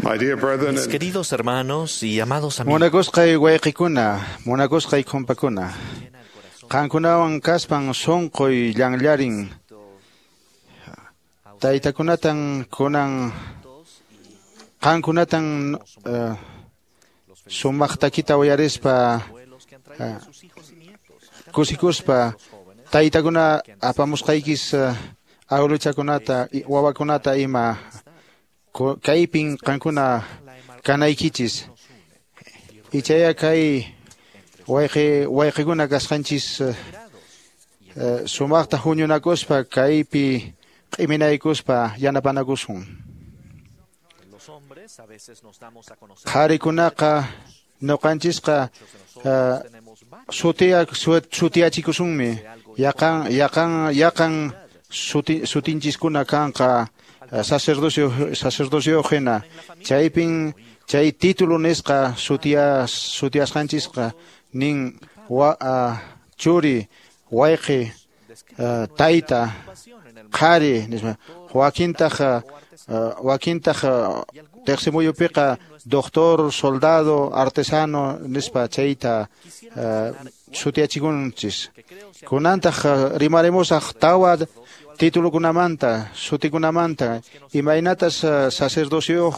Mis queridos hermanos y amados amigos, Munakusqay wayqikuna, munakusqay kumpakuna. Qankunawan kaspan sunquy llanllarin. Taytakunatan kunan qankunatan uh, sumaq takita uyarispa uh, kusikuspa taytakuna apamusqaykis uh, awiluchakunata wawakunata ima kaypin qankuna kanaykichis. Ichaya kay wayqi wayqikuna kasqanchis uh, sumaqta huñunakuspa kaypi q'iminaykuspa yanapanakusun. Qharikunaqa ñuqanchisqa uh, sutiya sutiyachikusunmi yaqan yaqan yaqan suti, sutinchiskuna kanqa sacerdocio sacerdocio hina chaypin chay título nisqa sutiya sutiyasqanchisqa nin wa, uh, churi wayqi uh, tayta qhari nispa wakintaq uh, wakintaq uh, teqsimuyupiqa doctor, soldado, artesano nispa chayta uh, sutiyachikunchis. Kunantaq uh, rimarimosaq tawa titulukunamanta, sutikunamanta, imaynatas uh, sacerdocio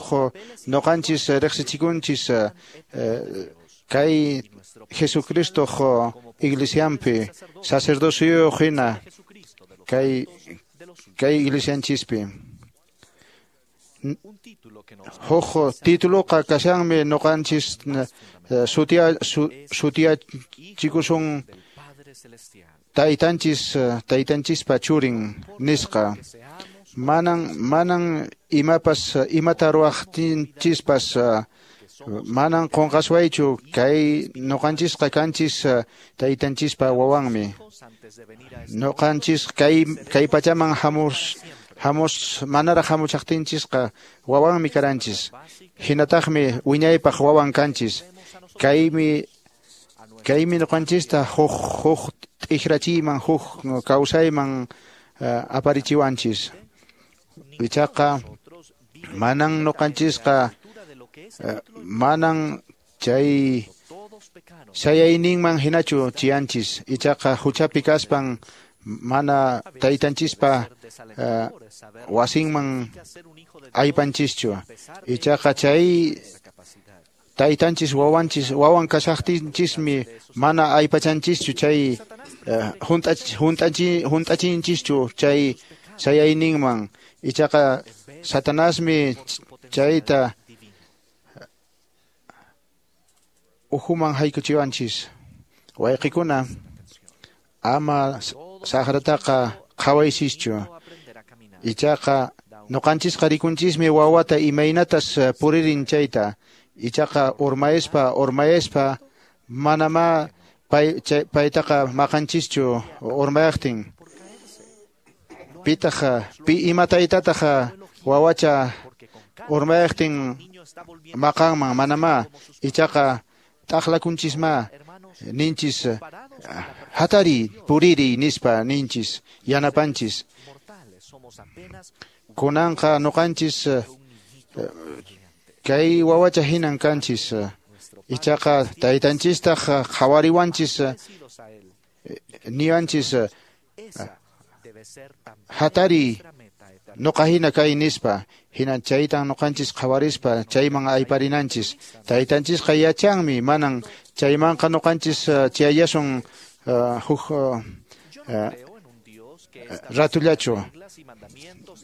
noqanchis riqsichikunchis uh, kay Jesucristo iglesianpi sacerdocio hina kay kay iglesianchispi. Huk tituluqa kashanmi noqanchis sutia sutiachikusun taytanchis taytanchispa churin nisqa. Manan manan imapas imata ruwaqtinchispas manan qunqaswaychu kay noqanchisqa kanchis taytanchispa wawanmi. Noqanchis kay kay pachaman hamus hamus manaraq hamuchaqtinchisqa wawanmi karanchis. Hinataqmi wiñaypaq wawan kanchis. Kaymi kaymi noqanchista huk huk t'ikrachiyman huk kawsayman uh, aparichiwanchis. Ichaqa manan noqanchisqa uh, manan chay sayayninman hinachu chiyanchis. Ichaqa huchapi kaspan mana taytanchispa uh, wasinman aypanchischu. Ichaqa chay taytanchis wawanchis wawan kashaqtinchismi mana aypachanchischu chay uh, hunt'ach hunt'achi hunt'achinchischu chay sayayninman. Ichaqa Satanasmi chayta uhuman haykuchiwanchis. Wayqikuna ama saqrataqa qhawaysischu. Ichaqa noqanchisqa rikunchismi wawata imaynatas puririn chayta. Ichaqa urmayaspa urmayaspa manama pay, chay, paytaqa maqanchischu urmayaqtin. Pitaq pi ima taytataq wawacha urmayaqtin maqanman manama. Ichaqa t'aqlakunchisma ninchis hatari puriri nispa ninchis yanapanchis. Kunanqa noqanchis kay wawacha hinan kanchis. Ichaqa taytanchistaq qhawariwanchis niwanchis hatari noqa hina kay nispa. Hinan chaytan noqanchis qhawarispa chayman ayparinanchis. Taytanchisqa yachanmi manan chaymanqa noqanchis chayasun uh, huk uh, uh, ratullachu.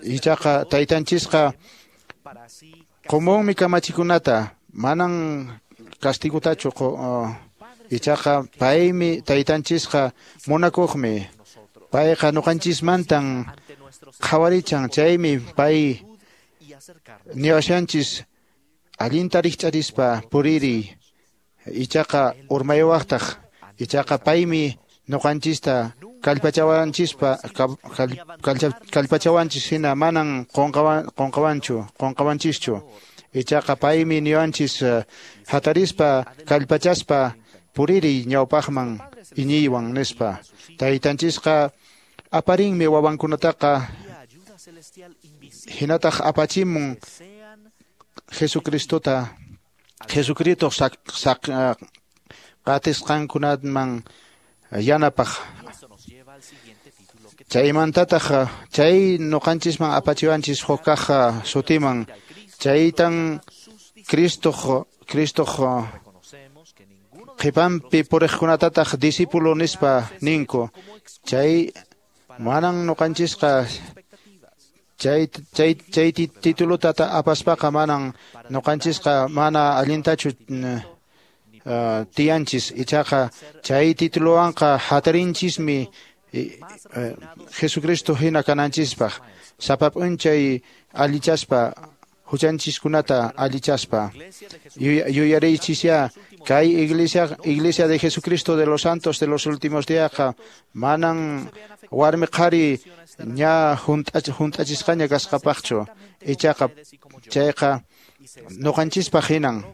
Ichaqa taytanchisqa qomunmi kamachikunata manan castigutachu uh, ichaqa paymi taytanchisqa munakuqmi. Payqa noqanchismantan qhawarichan chaymi pay niwashanchis allinta rikch'arispa puriri. Ichaqa urmaywaqtaq. Ichaqa paymi noqanchista kallpachawanchispa kallpachawanchis hina manan qunqawanchu qunqawanchischu. Ichaqa paymi niwanchis hatarispa kallpachaspa puriri ñawpaqman iñiywan nispa. Taytanchisqa aparinmi wawankunataqa hinataq apachimun Jesucristota Jesucristo sak sak qatisqankunaman yanapaq. Chaymantataq chay nuqanchisman apachiwanchis huk kaq sutiman, chaytan Cristo Cristo qhipanpi puriqkunatataq discípulo nispa ninku. Chay manan nuqanchisqa chay chay chay titulota apaspaqa manan nuqanchisqa mana allintachu uh, tiyanchis. Ichaqa chay tituluwanqa hatarinchismi Jesucristo hina kananchispaq, sapa p'unchay allichaspa huchanchiskunata allichaspa. Yuyariychisya kay iglesia iglesia de Jesucristo de los Santos de los últimos díasqa manan warmi qhari ña hunt'achisqaña kasqapaqchu. Ichaqa chayqa nuqanchispaq hinan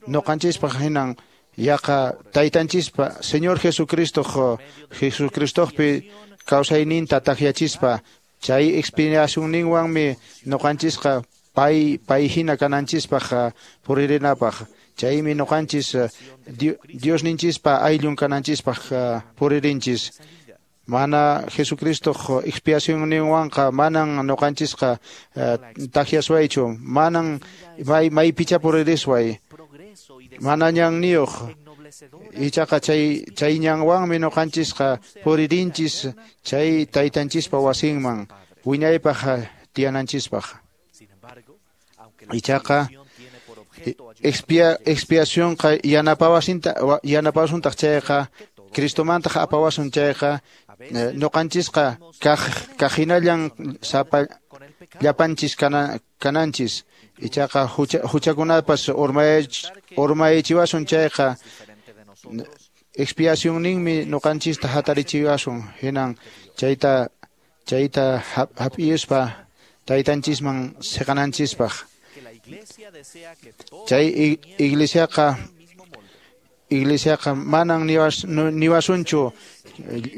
nuqanchispaq hinan yaqa taytanchispa Señor Jesucristo Jesucristopi kawsayninta takyachispa chay expiacionninwanmi nuqanchisqa pay pay hina kananchispaq puririnapaq. Chaymi nuqanchis Diosninchispa ayllun kananchispaq puririnchis. Mana Jesucristo expiacionninwanqa manan nuqanchisqa takyaswaychu, manan may maypicha puririsway, mana ñanniyuq. Ichaqa chay chay ñanwanmi nuqanchisqa puririnchis chay taytanchispa wasinman wiñaypaq tiyananchispaq. Ichaqa expia expiacionqa yanapawasinta yanapawasuntaq chayqa Cristomantaq apawasun chayqa nuqanchisqa kaq kaqhinallan sapa llapanchis kana kananchis. Ichaqa huchakunapas urmayichiwasun chayqa expiacionninmi nuqanchista hatarichiwasun. Hinan chayta chayta hap'iyuspa taytanchisman siqananchispaq. Chay iglesiaqa iglesiaqa manan niwas niwasunchu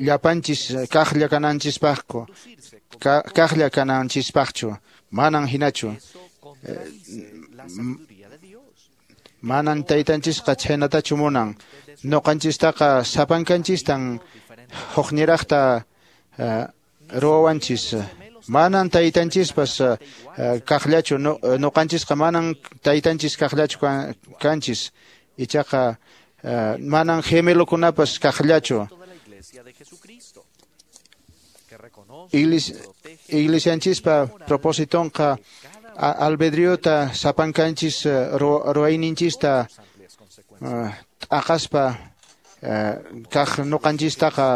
llapanchis kaqlla kananchispaqku kaqlla kananchispaqchu, manan hinachu. Manan taytanchisqa chhaynatachu munan. Nuqanchistaqa sapankanchistan hukniraqta ruwawanchis. Manan taytanchispas kaqllachu, nuqanchisqa manan taytanchis kaqllachu kanchis. Ichaqa manan gemelokunapas kaqllachu. Iglesianchispa propositonqa albedriota sapankanchis ruwayninchista t'aqaspa kaq nuqanchistaqa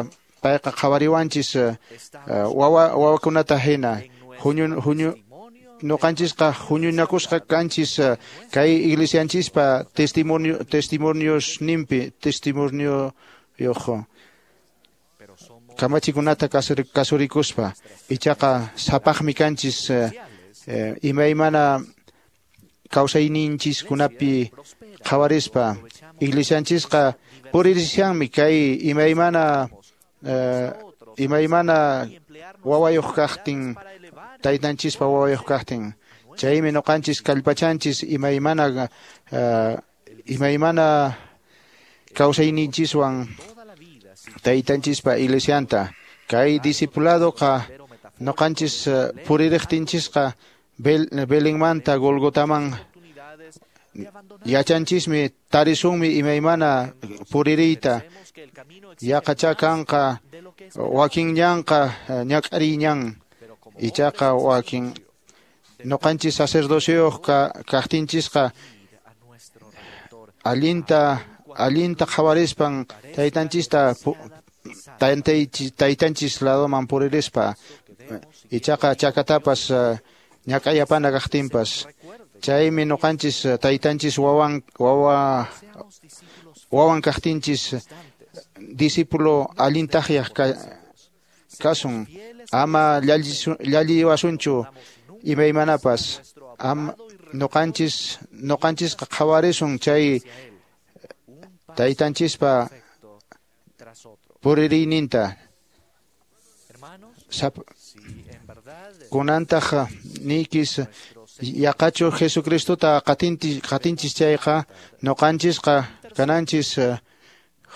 payqa qhawariwanchis wawa wawakunata hina. Huñu huñu nuqanchisqa huñunakusqa kanchis kay iglesianchispa testimonio testimoniosninpi testimonioyuq kamachikunata kasurikuspa. Ichaqa sapaqmi kanchis imaymana kawsayninchiskunapi qhawarispa. Iglesianchisqa puririshanmi kay imaymana imaymana wawayuq kaqtin, taytanchispa wawayuq kaqtin. Chaymi nuqanchis kallpachanchis imaymana imaymana kawsayninchiswan taytanchispa iglesianta. Kay discipuladoqa nuqanchis puririqtinchisqa Belenmanta Golgotaman yachanchismi tarisunmi imaymana puririyta. Yaqacha kanqa wakin ñanqa ñak'ariy ñan, ichaqa wakin nuqanchis sacerdocioyuq kaqtinchisqa allinta allinta qhawarispan taytanchista taytanchis ladoman puririspa. Ichaqa chakatapas ñak'ayapana kaqtinpas. Chaymi nuqanchis taytanchis wawan wawa wawan kaqtinchis discípulo allintaqyaq kasun. Ama llalliwasunchu imaymanapas. Am nuqanchis nuqanchisqa qhawarisun chay taytanchispa puririyninta. Kunantaq niykis Yaqachu Jesucristota qatinchis qatinchis chayqa noqanchisqa kananchis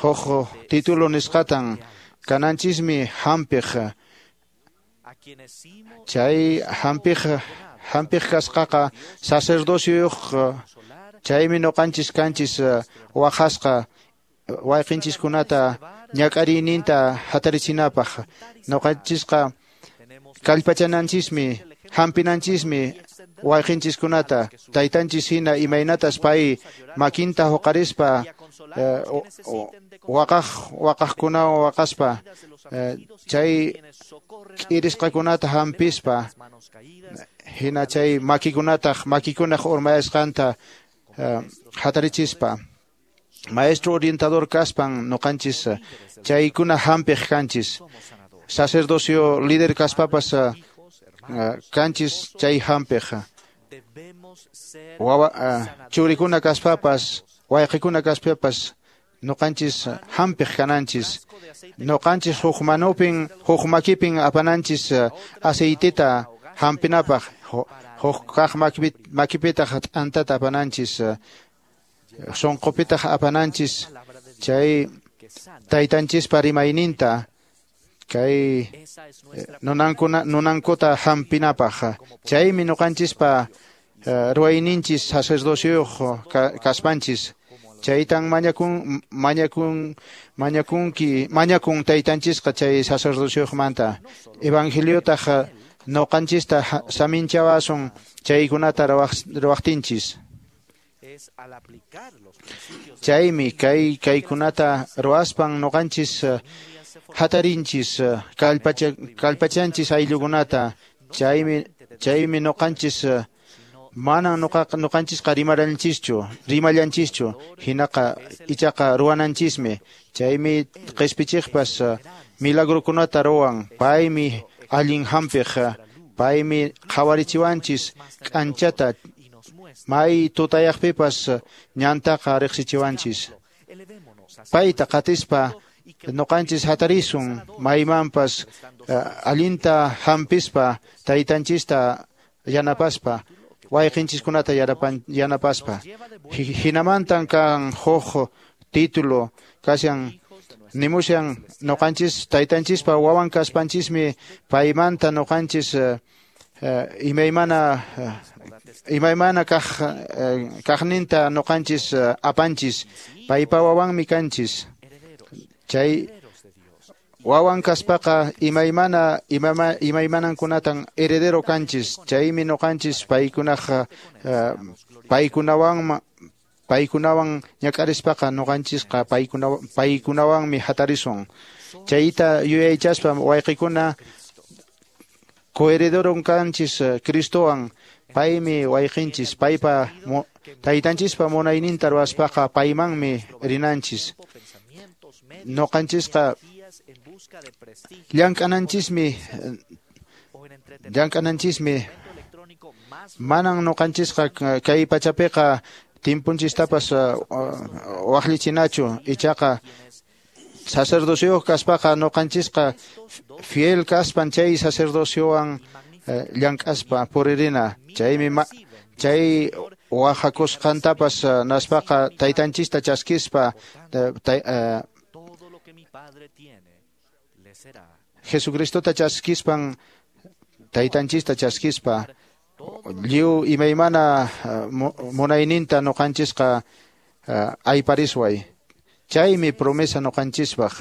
huk título nisqatan kananchismi hampiq. Chay hampiq hampiq kasqaqa sacerdocioyuq chaymi noqanchis kanchis waqasqa wayqinchiskunata ñak'ariyninta hatarichinapaq. Noqanchisqa kallpachananchismi hampinanchismi wayqinchiskunata taytanchis hina imaynatas pay makinta huqarispa waqaq waqaqkunawan waqaspa chay k'irisqakunata hampispa hina chay makikunataq makikunaq urmayasqanta hatarichispa. Maestro orientador kaspan noqanchis chaykuna hampiq kanchis. Sacerdocio líder kaspapas kanchis chay hampiq. Wawa churikuna kaspapas wayqikuna kaspapas noqanchis hampiq kananchis. Noqanchis huk manupin huk makipin apananchis aceiteta hampinapaq, huk kaq makipitaq t'antata apananchis, sunqupitaq apananchis chay taytanchispa rimayninta kay nunankuna nunankuta hampinapaq. Chaymi noqanchispa ruwayninchis sacerdocioyuq kaspanchis. Chaytan mañakun mañakun mañakunki mañakun taytanchisqa chay sacerdocioyuqmanta. Evangeliotaq noqanchista saminchawasun chaykunata ruwaqtinchis. Chaymi kay kaykunata ruwaspan noqanchis hatarinchis kallpacha kallpachanchis ayllukunata. Chaymi chaymi noqanchis manan noqaqa noqanchisqa rimaranchischu rimallanchischu hinaqa ichaqa ruwananchismi. Chaymi qispichiqpas milagrokunata ruwan. Paymi allin hampiq, paymi qhawarichiwanchis k'anchata may tutayaqpipas ñantaqa riqsichiwanchis. Payta qatispa noqanchis hatarisun maymanpas allinta hampispa taytanchista yanapaspa wayqinchiskunata yanapaspa. Hinamantan kan huk título kashan nimushan noqanchis taytanchispa wawan kaspanchismi paymanta noqanchis imaymana imaymana kaq kaqninta noqanchis apanchis paypa wawanmi kanchis. Chay wawan kaspaqa imaymana imaymanankunatan heredero kanchis. Chaymi noqanchis paykunaq paykunawan paykunawan ñak'arispaqa noqanchisqa paykuna paykunawanmi hatarisun. Chayta yuyaychaspa wayqikuna coherederon kanchis Cristowan. Paymi wayqinchis paypa taytanchispa munayninta ruwaspaqa paymanmi rinanchis. Noqanchisqa llank'ananchismi llank'ananchismi manan noqanchisqa kay pachapiqa timpunchistapas waqlichinachu. Ichaqa sacerdocioyuq kaspaqa noqanchisqa fiel kaspan chay sacerdociowan llank'aspa puririna. Chaymi chay waqakusqantapas naspaqa taytanchista chaskispa Jesucristota chaskispan taytanchista chaskispa lliw imaymana munayninta noqanchisqa ayparisway. Chaymi promesa noqanchispaq.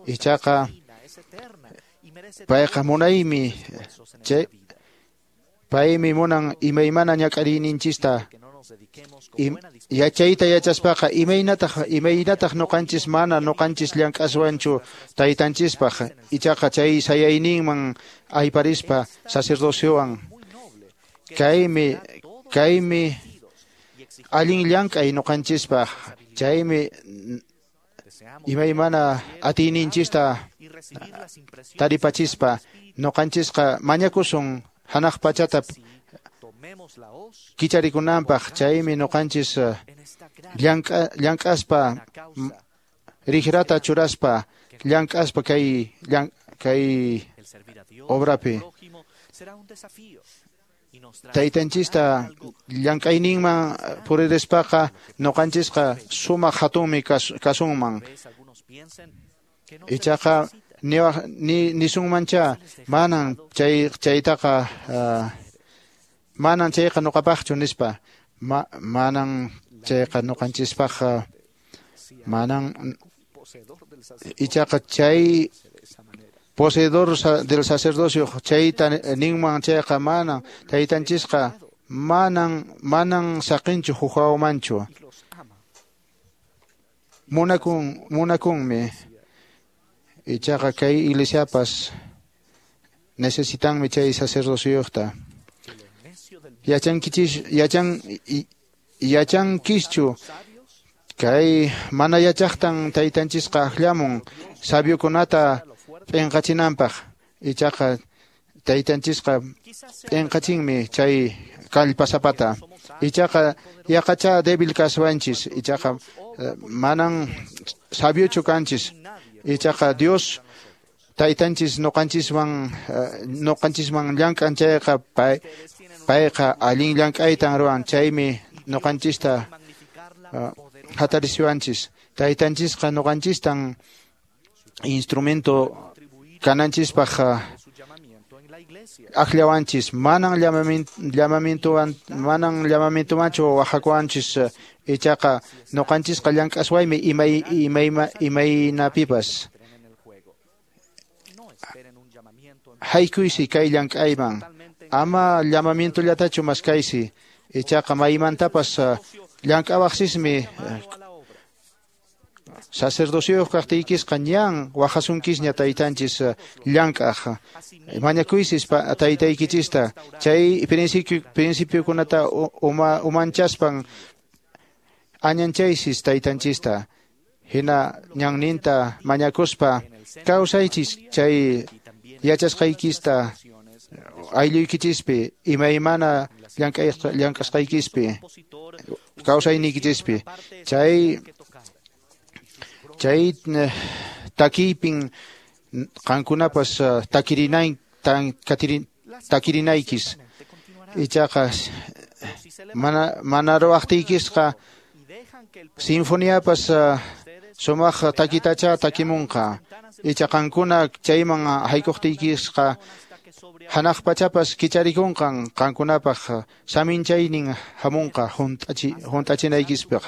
Ichaqa payqa munaymi chay paymi munan imaymana ñak'ariyninchista yachayta yachaspaqa imaynataq imaynataq noqanchis mana noqanchis llank'aswanchu taytanchispaq. Ichaqa chay sayayninman ayparispa sacerdociowan. Kaymi kaymi allin llank'ay noqanchispaq. Chaymi imaymana atiyninchista taripachispa noqanchisqa mañakusun hanaq pachata kicharikunanpaq. Chaymi noqanchis llank'aspa rijrata churaspa llank'aspa kay kay obrapi. Taytanchista llank'ayninman puririspaqa ñuqanchisqa sumaq hatunmi kasunman. Ichaqa ni nisunmancha manan chay chaytaqa manan chayqa ñuqapaqchu nispa, manan chayqa ñuqanchispaq, manan ichaqa chay poseedor del sacerdocio chayta ninman chayqa manan taytanchisqa manan manan saqinchu huqawmanchu. Munakun munakunmi. Ichaqa kay iglesiapas necesitanmi chay sacerdocioyuqta. Yachankichis yachan yachankischu kay mana yachaqtan taytanchisqa aqllamun sabiokunata p'inqachinanpaq. Ichaqa taytanchisqa p'inqachinmi chay kallpasapata. Ichaqa yaqacha débil kaswanchis, ichaqa manan sabiochu kanchis. Ichaqa Dios taytanchis ñuqanchiswan ñuqanchisman llank'an chayqa pay payqa allin llank'aytan ruwan, chaymi ñuqanchista hatarisiwanchis. Taytanchisqa ñuqanchistan instrumento kananchispaq aqllawanchis, manan llamamientowan manan llamamientomanchu waqhakuwanchis. Ichaqa ñuqanchisqa llank'aswaymi imay imayma imaynapipas. Haykuysi kay llank'ayman, ama llamamientollatachu maskaysi, ichaqa maymantapas llank'awaqsismi. Sacerdocioyuq kaqtiykisqa ñan waqhasunkisña taytanchis llank'aq. Mañakuysis taytaykichista chay principio principiokunata uma umanchaspan añanchaysis taytanchista. Hina ñanninta mañakuspa kawsaychis chay yachasqaykista aylluykichispi imaymana llank'asqaykispi kawsayniykichispi. Chay chay takiypin qankunapas takirinay tan takirinaykis. Ichaqa mana mana ruwaqtiykisqa sinfoniapas sumaq takitacha takimunqa. Icha qankuna chayman haykuqtiykisqa hanaq pachapas kicharikunqan qankunapaq saminchaynin hamunqa hunt'achi hunt'achinaykispaq.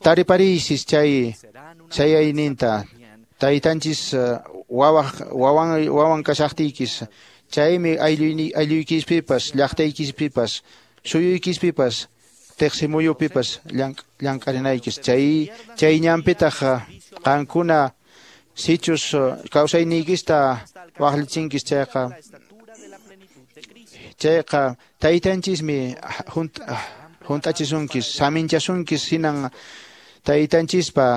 Taripariysis chay chayayninta taytanchis wawaq wawan wawan kashaqtiykis. Chaymi aylluyni aylluykispipas llaqtaykispipas suyuykispipas teqsimuyupipas llank'arinaykis. Chay chay ñanpitaq qankuna sichus kawsayniykista waqlichinkis chayqa chayqa taytanchismi hunt'achisunkis saminchasunkis hinan taytanchispa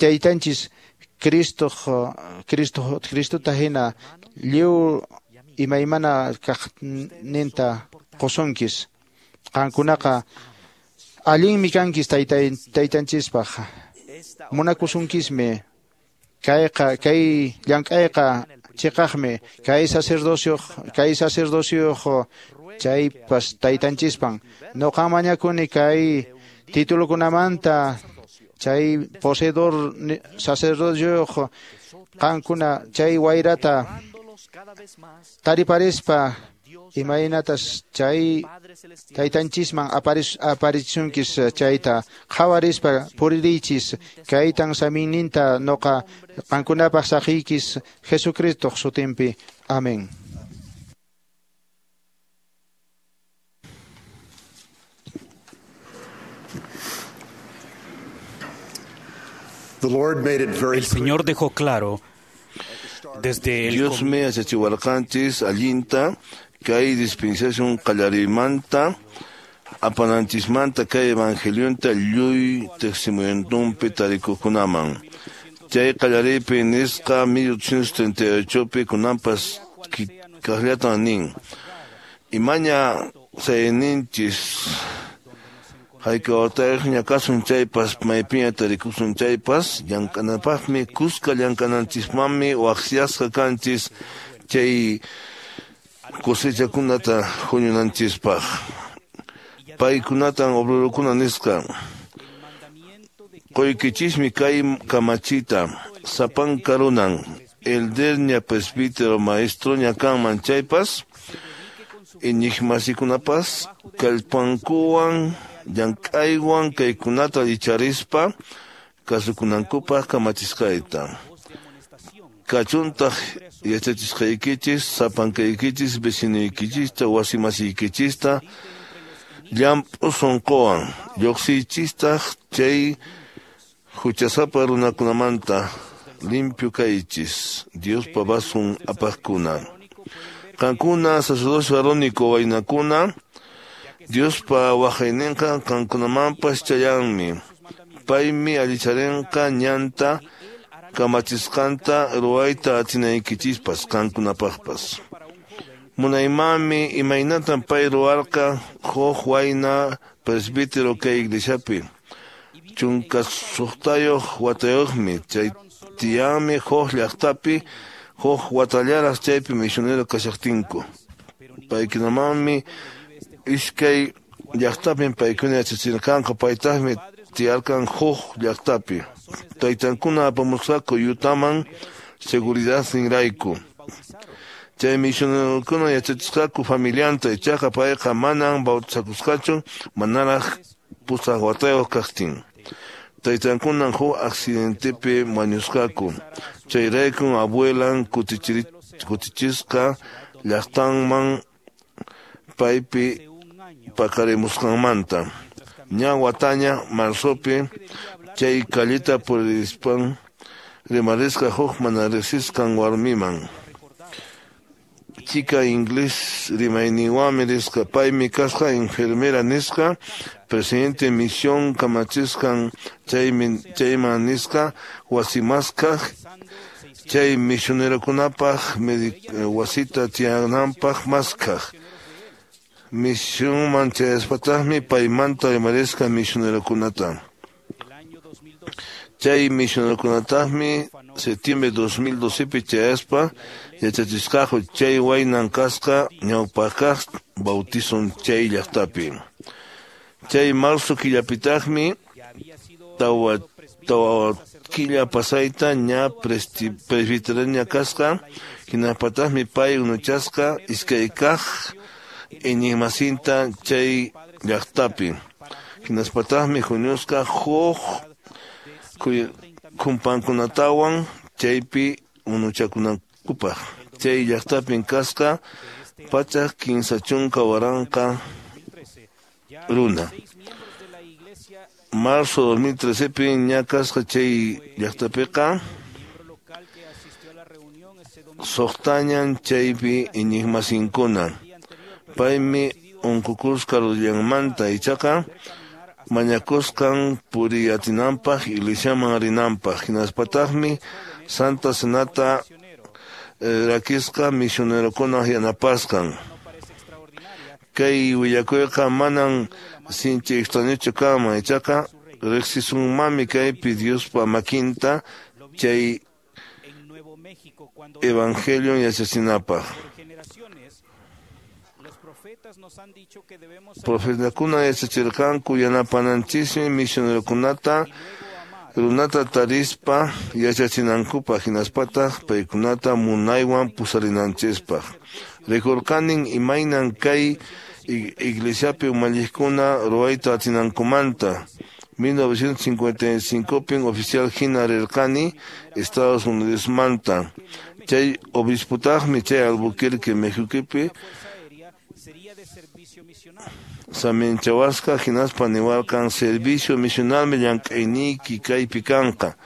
taytanchis Cristo Cristo Cristota hina lliw imaymana kaqninta qusunkis. Qankunaqa allinmi kankis taytay taytanchispaq, munakusunkismi. Kayqa kay llank'ayqa chiqaqmi kay sacerdocio kay sacerdocio chaypas taytanchispan. Ñuqa mañakuni kay titulokunamanta chay poseedor sacerdocio qankuna chay wayrata tariparispa imaynatas chay taytanchisman aparichunkis chayta qhawarispa puririychis. Kaytan saminninta ñuqa qankunapaq saqiykis Jesucristoq sutinpi. Amén. El Señor dejó claro desde el Dios me yachachiwarqanchis allinta kay dispensación qallarimanta apananchismanta kay evangelionta lluy testimonionpi tarikuqkunaman. Chay qallaripi nisqa mil ochocientos treinta y ochopi kunanpas kaqllatan nin. Imaña sayninchis haykawatayqña kasun chaypas maypiña tarikusun chaypas llank'anapaqmi kuska llank'ananchismanmi waqyasqa kanchis chay cosechakunata huñunanchispaq. Paykunatan obrerokuna nisqa. Qoykichismi kay kamachita sapanka runan elderña presbítero maestroña kanman chaypas iñiqmasikunapas kallpankuwan llank'aywan kaykunata icharispa kasukunankupaq kamachisqayta. Kachuntaq yachachisqaykichis sapankaykichis vecinuykichista wasimasiykichista llamp'u sunquwan lluqsiychistaq chay huchasapa runakunamanta limpio kaychis Diospa vasun apaqkuna. Qankuna sacerdocio arónico waynakuna Diospa waqayninqa qankunamanpas chayanmi. Paymi allicharinqa ñanta kamachisqanta ruwayta atinaykichispas qankunapaqpas. Munaymanmi imaynatan pay ruwarqa huk wayna presbítero kay iglesiapi. Chunka suqtayuq watayuqmi chay tiyanmi huk llaqtapi huk watallaraq chaypi misionero kashaqtinku. Paykunamanmi iskay llaqtapim paykuna yachachirqanku paytaqmi tiyarqan huk llaqtapi. Taytankuna apamusqaku Yutaman seguridadninrayku. Chay misionerokuna yachachisqaku familianta ichaqa payqa manan bautizakusqachu manaraq pusaq watayuq kaqtin. Taytankunan huk accidentepi wañusqaku. Chayraykun abuelan kutichisqa llaqtanman paypi paqarimusqanmanta. Ña wataña marzopi chay calleta purispan rimarisqa huk mana riqsisqan warmiman. Chica inglés rimayninwanmi risqa paymi kasqa enfermera nisqa presidente misión kamachisqan chaymi chayman nisqa wasimaskaq chay misionerokunapaq wasita tiyananpaq maskaq. Misionman chayaspataqmi paymanta rimarisqa misionerokunata. Chay misionerokunataqmi septiembre dos mil docepi chayaspa yachachisqaku chay waynan kasqa ñawpaqkaq bautizon chay llaqtapi. Chay marzo killapitaqmi tawa tawa killa pasayta ña presbiteroña kasqa hinapataqmi pay unuchasqa iskaykaq iñiqmasinta chay llaqtapi. Hinaspataqmi huñusqa huk kumpankunatawan chaypi unuchakunankupaq. Chay llaqtapin kasqa pachak kinsa chunka waranqa runa. Marzo dos mil trecepi ña kasqa chay llaqtapiqa suqtañan chaypi iñiqmasinkuna. Paymi unqukusqa rudillanmanta ichaqa mañakusqan puriyatinanpaq iglesiaman rinanpaq. Hinaspataqmi Santa Cenata eh, rakisqa misionerokuna yanapasqan. Kay willakuyqa manan sinchi extrañochu kanman ichaqa riqsisunmanmi kaypi Diospa makinta chay evangelion yachachinapaq. Profetakuna yachachirqanku yanapananchismi misionerokunata runata tarispa yachachinankupaq hinaspataq paykunata munaywan pusarinanchispaq. Rikurqanin imaynan kay iglesiapi umalliqkuna ruwayta atinankumanta. mil novecientos cincuenta y cinco pin oficial hina rirqani Estados Unidosmanta. Chay obisputaqmi chay Albuquerque Mexicopi saminchawasqa hinaspa niwarqan servicio misionalmi llank'ayniyki kaypi kanqa.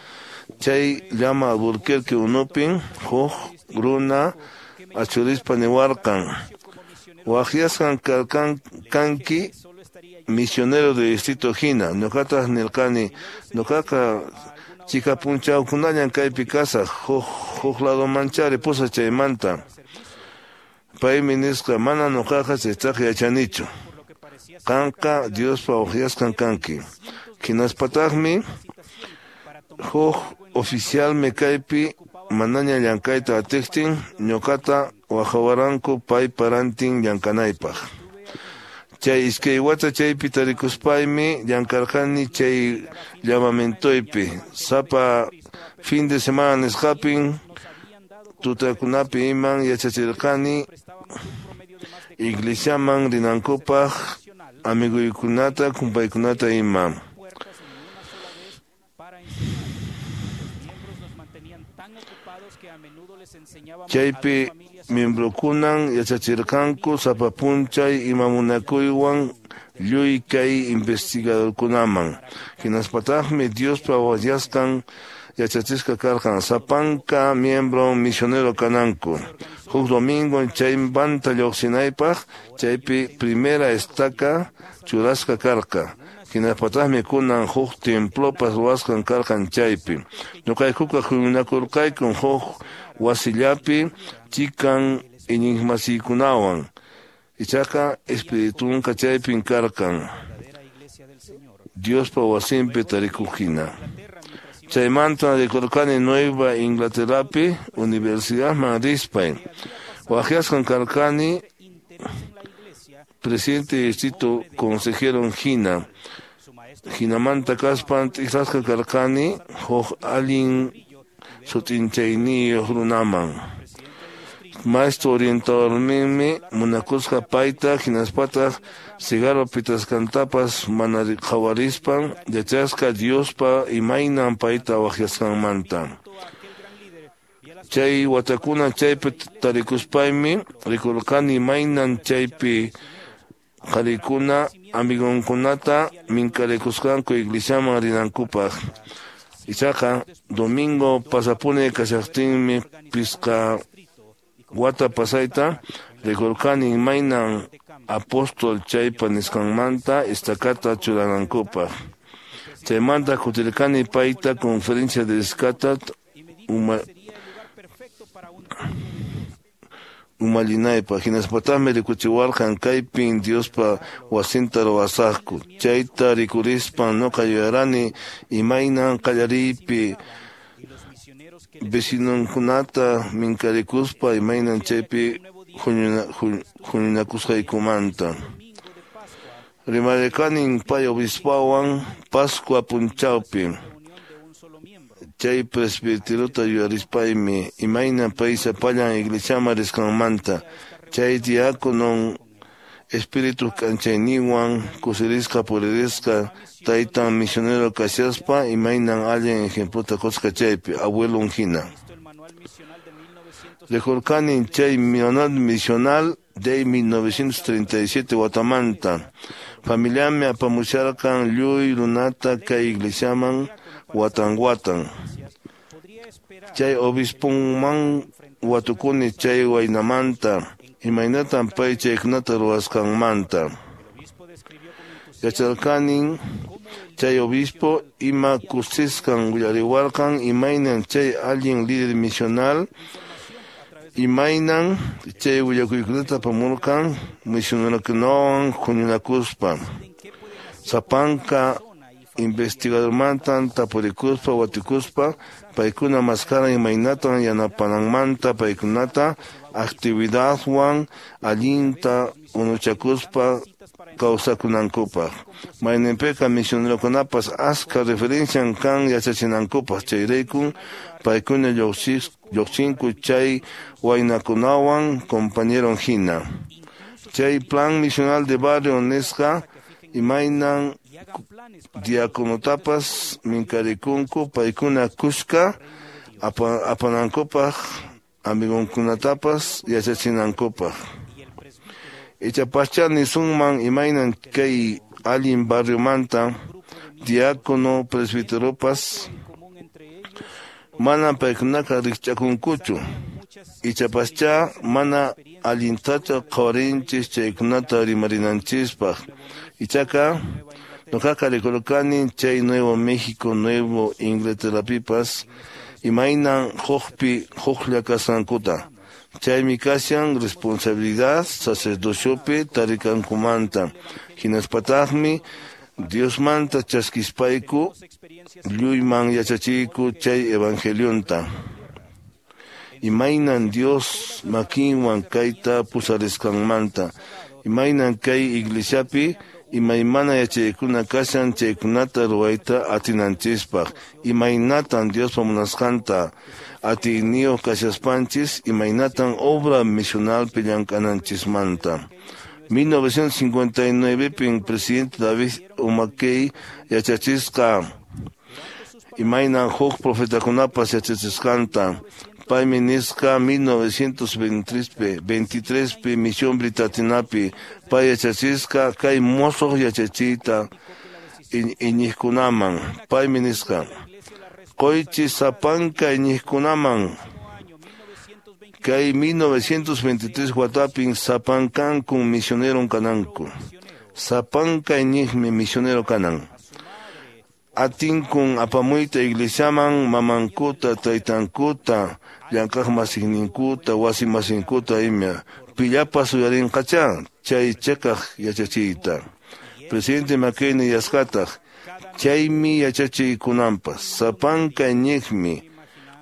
Chay llama Albuquerque unupin huk runa achurispa niwarqan waqyasqan karqan kanki misionero de distrito hina. Ñuqataq nirqani ñuqaqa chika punchawkunallan kaypi kasaq huk huk ladomanchari pusaq chaymanta. Paymi nisqa mana ñuqaqa chaytaqa yachanichu. Qanqa Diospa waqyasqan kanki. Hinaspataqmi huk oficialmi kaypi manaña llank'ayta atiqtin ñuqata wahawaranku paypa rantin llank'anaypaq. Chay iskay wata chaypi tarikuspaymi llank'arqani chay llamamentoypi sapa fin de semana nisqapin tutakunapi iman yachachirqani iglesiaman rinankupaq amiguykunata kumpaykunata ima. Chaypi miembrokunan yachachirqanku sapa p'unchay ima munakuywan lluy kay investigadorkunaman. Hinaspataqmi Diospa waqyasqan yachachisqa karqan sapanka miembro misionero kananku. Huk domingo chaymanta lluqsinaypaq chaypi primera estaca churasqa karqa. Hinaspataqmi kunan huk templopas ruwasqan karqan chaypi. Ñuqaykuqa huñunakurqaykun huk wasillapi chikan iñiqmasiykunawan. Ichaqa espiritunqa chaypin karqan. Diospa wasinpi tarikuqhina. Chaymanta rikurqani Nueva Inglaterrapi universidadman rispay. Waqyasqan karqani presidente de distrito consejero hina. Hinamanta kaspan t'ikrasqa karqani huk allin sut'inchayniyuq runaman. Maestro orientadorninmi munakusqa payta hinaspataq cigarro pitasqantapas mana qhawarispan yachasqa Diospa imaynan payta waqyasqanmanta. Chay watakuna chaypi tarikuspaymi rikurqani imaynan chaypi qharikuna amigonkunata minkarikusqanku iglesiaman rinankupaq. Ichaqa domingo pasapuni kashaqtinmi pisqa wata pasayta rikurqani imaynan apóstol chaypa nisqanmanta estacata churanankupaq. Chaymanta kutirqani payta conferencia de escata uma umallinaypaq hinaspataqmi rikuchiwarqan kaypin Diospa wasinta ruwasaqku. Chayta rikurispan ñuqa yuyarani imaynan qallariypi vecinonkunata minkarikuspa imaynan chaypi huñunakusqaykumanta. Rimarirqanin pay obispowan Pascua p'unchawpi. Chay presbiterota yuyarispaymi imaynan pay sapallan iglesiaman risqanmanta. Chay diáconon espíritu k'anchayninwan kusirisqa puririsqa taytan misionero kashaspa imaynan allin ejemplota qusqa chaypi abuelon hina. Rikurqani chay manual misional de mil novecientos treinta y siete watamanta. Familiami apamusharqan lluy runata kay iglesiaman watan watan. Chay obisponman watukuni chay waynamanta imaynatan pay chaykunata ruwasqanmanta. Yacharqanin chay obispo ima kusisqan willariwarqan imaynan chay allin líder misional imaynan chay willakuykunata apamurqan misionerokunawan huñunakuspa. Sapanka investigadormantan tapurikuspa watikuspa paykuna maskaran imaynatan yanapananmanta paykunata actividadwan allinta unuchakuspa kawsakunankupaq. Mayninpiqa misionerokunapas askha referencian kan yachachinankupaq chayraykun paykuna lluqsinku chay waynakunawan compañeron hina. Chay plan misional de barrio nisqa imaynan diaconotapas minkarikunku paykuna kuska apanankupaq amigonkunatapas yachachinankupaq. Ichapaschá nisunman imaynan kay allin barriomanta diácono presbiteropas mana paykunaqa rikch'akunkuchu. Ichapaschá mana allintachu qhawarinchis chaykunata rimarinanchispaq. Ichaqa ñuqaqa rikurqani chay Nuevo México, Nuevo Inglaterrapipas imaynan hukpi huklla kasqankuta. Chaymi kashan responsabilidad sacerdociopi tarikankumanta. Hinaspataqmi Diosmanta chaskispayku lluyman yachachiyku chay evangelionta. Imaynan Dios makinwan kayta pusarisqanmanta. Imaynan kay iglesiapi imaymana yachaykuna kashan chaykunata ruwayta atinanchispaq. Imaynatan Diospa munasqanta atiyniyuq kashaspanchis, imaynatan obra misionalpi llank'ananchismanta. mil novecientos cincuenta y nueve pin presidente David O. McKay yachachisqa imaynan huk profetakunapas yachachisqanta. Paymi nisqa mil novecientos veintitrés pi misión Britatinapi pay yachachisqa kay mosoq yachachiyta iñiqkunaman. Paymi nisqa qoychis sapanka iñiqkunaman kay mil novecientos veintitrés watapin sapankankun misionero kananku. Sapanka iñiqmi misionero kanan. Atinkun apamuyta iglesiaman mamankuta, taytankuta, llank'aqmasinninkuta, wasimasinkuta ima. Pillapas uyarinqachá chay cheqaq yachachiyta. Presidente McKay yasqataq chaymi yachachiykunanpas. Sapanka iñiqmi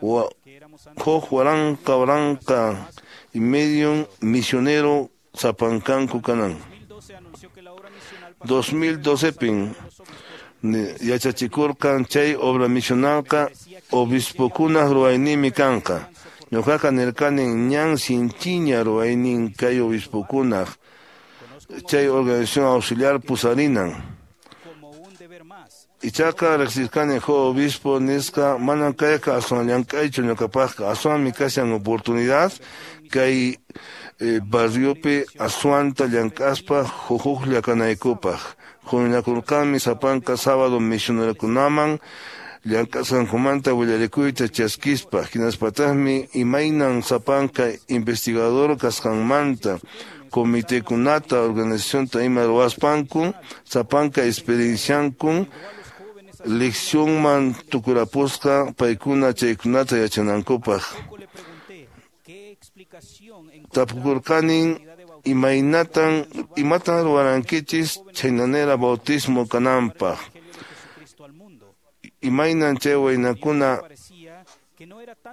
huk waranqa waranqa y medio misionero sapankanku kanan. dos mil doce pin yachachikurqan chay obra misionalqa obispokunaq ruwayninmi kanqa. Ñuqaqa nirqani ñan sinchiña ruwaynin kay obispokunaq chay organización auxiliar pusarinan. Ichaqa riqsirqani huk obispo nisqa manan kayqa aswan llank'aychu ñuqapaqqa, aswanmi kashan oportunidad kay eh, barriopi aswanta llank'aspa huklla kanaykupaq. Huñunakurqanmi sapanka sábado misionerokunaman llank'asqankumanta willarikuyta chaskispa, hinaspataqmi imaynan sapanka investigador kasqanmanta comitekunata organizacionta ima ruwaspanku sapanka experienciankun leccionman tukurapusqa paykuna chaykunata yachanankupaq. Tapukurqanin imaynatan imatan ruwarankichis chaynanera bautismo kananpaq. Imaynan chay waynakuna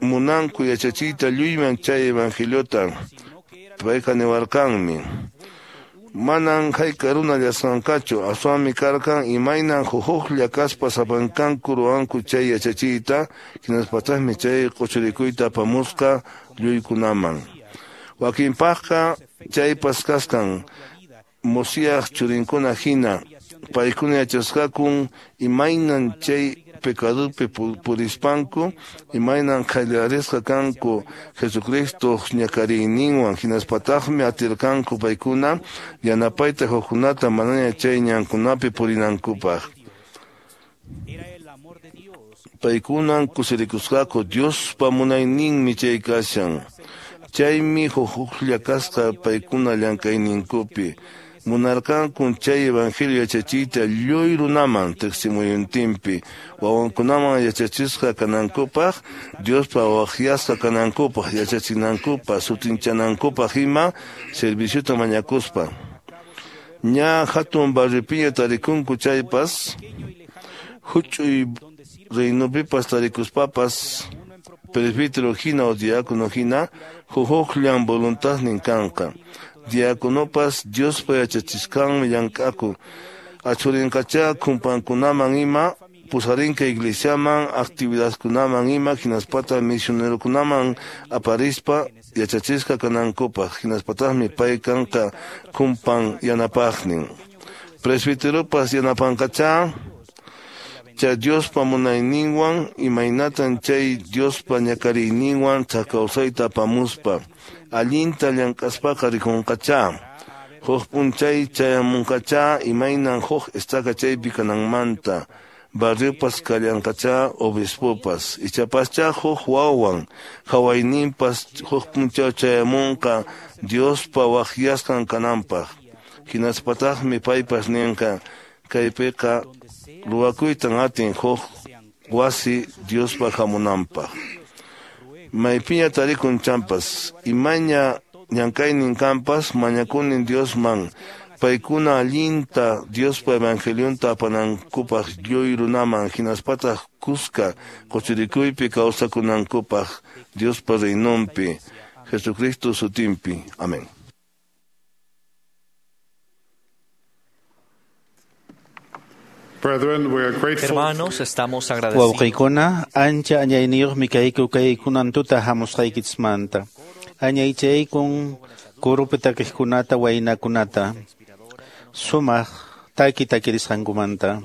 munanku yachachiyta lluyman chay evangeliota. Payqa niwarqanmi manan hayk'a runa llasqanqachu, aswanmi karqan imaynan huklla kaspa sapankanku ruwanku chay yachachiyta, hinaspataqmi chay q'uchurikuyta apamusqa lluykunaman. Wakinpaqqa chaypas kasqan Mosíaj churinkuna hina, paykuna yachasqakun imaynan chay pecadupi purispanku, imaynan qhallarisqa kanku Jesucristo ñakariyninwan, hinaspataqmi atirqanku paykuna yanapayta hukkunata manaña chay ñankunapi purinankupaq. Paykunan kusirikusqaku Diospa munayninmi chay kashan. Chaymi huklla kasqa paykuna llank'ayninkupi. Munarqankun chay evangelio yachachiyta lluy runaman teqsimuyuntinpi, wawankunaman yachachisqa kanankupaq, Diospa waqyasqa kanankupaq, yachachinankupaq, sutinchanankupaq ima serviciota mañakuspa. Ña hatun barripiña tarikunku chaypas, huch'uy reinopipas tarikuspapas, presbítero hina o diácono hina, huhuqllan voluntadnin kanqa. Diáconopas Diospa yachachisqanmi llank'aku. Achurinqachá kumpankunaman ima, pusarinqa iglesiaman, actividadkunaman ima, hinaspata misionerokunaman aparispa yachachisqa kanankupaq, hinaspataqmi pay kanqa kumpan yanapaqnin. Presbiteropas yanapanqachá chay Diospa munayninwan, imaynatan chay Diospa ñakariyninwan kawsayta apamuspa. Allinta llank'aspaqa rikunqachá. Huk p'unchay chayamunqachá imaynan huk estaca chaypi kananmanta. Barriopas kallanqachá obispopas. Ichapaschá huk wawan hawayninpas huk p'unchaw chayamunqa Diospa waqyasqan kananpaq. Hinaspataqmi paypas ninqa kaypiqa ruwakuytan atin huk wasi Diospa hamunanpaq. Maypiña tarikun champas, imaña llank'aynin kanpas, mañakunin Diosman Paykuna allinta Diospa evangelionta apanankupaq lluy runaman hinaspataq kuska kuchurikuypi kawsakunankupaq Diospa reinonpi Jesucristo sutinpi. Amén. Hermanos, estamos agradecidos. Wawqiykuna, ancha añayniyuqmi kayku kay kunan tuta hamusqaykichismanta. Añaychaykun kurupi takiqkunata waynakunata sumaq taki takirisqankumanta.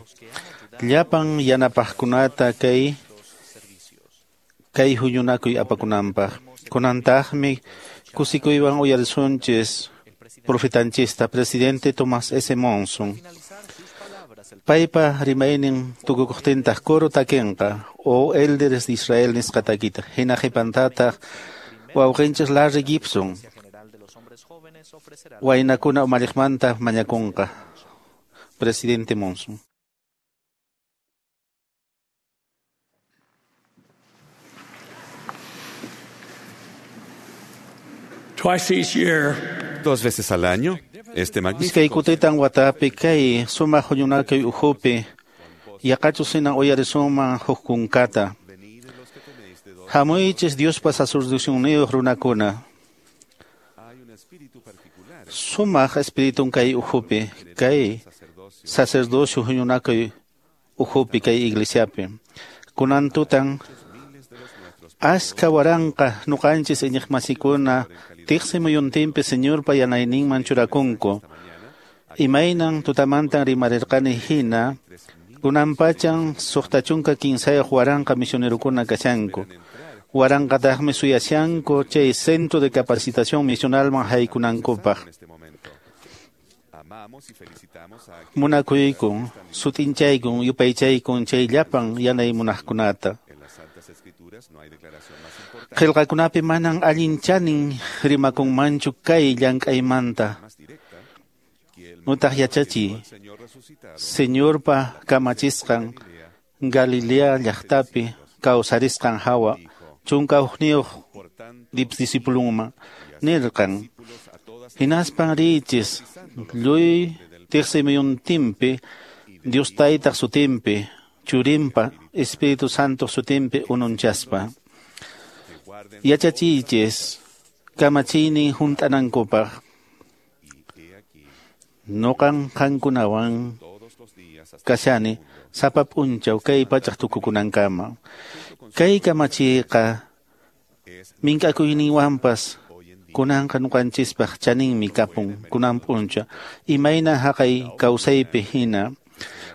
Llapan yanapaqkunata kay kay huñunakuy apakunanpaq. Kunantaqmi kusikuywan uyarisunchis profetanchista presidente Thomas S. Monson. Paypa rimaynin tukukuqtintaq coro takinqa o Elders de Israel nisqa takita. Hina qhipantataq wawqinchis Larry Gibson waynakuna umalliqmanta mañakunqa. Presidente Monson. Twice each year, Dos veces al año, este magnífico Iskay kutitan watapi kay sumaq huñunakuy ukhupi yaqachus hinan uyarisunman huk kunkata. Hamuychis Diospa sacerdocionniyuq runakuna. Sumaq espiritun kay ukhupi kay sacerdocio huñunakuy ukhupi kay iglesiapi. Kunan tutan aska waranqa nuqanchis iñiqmasikuna tiqsi muyuntinpi Señorpa yanayninman churakunku. Imaynan tutamantan rimarirqani hina kunanpachan suqta chunka kinsayuq waranqa misionerukuna kashanku. Waranqataqmi suyashanku chay centro de capacitación misionalman haykunankupaq. Munakuykun, sut'inchaykun, yupaychaykun chay llapan yanay munaqkunata. Qillqakunapi manan allin chanin rimakunmanchu kay llank'aymanta. Nutaq yachachiy Señorpa kamachisqan Galilea llaqtapi kawsarisqan hawa chunka hukniyuq discipulunman nirqan hinaspan riychis lluy tiqsimuyuntinpi Dios Taytaq sutinpi Churinpa Espíritu Santo sutinpi ununchaspa. Yachachiychis kamachiynin hunt'anankupaq. Nuqan qankunawan kashani sapa p'unchaw kay pachaq tukukunankama. Kay kamachiyqa mink'akuyninwanpas kunanqa nuqanchispaq chaninmi kapun kunan p'unchaw imayna haqay kawsaypi hina.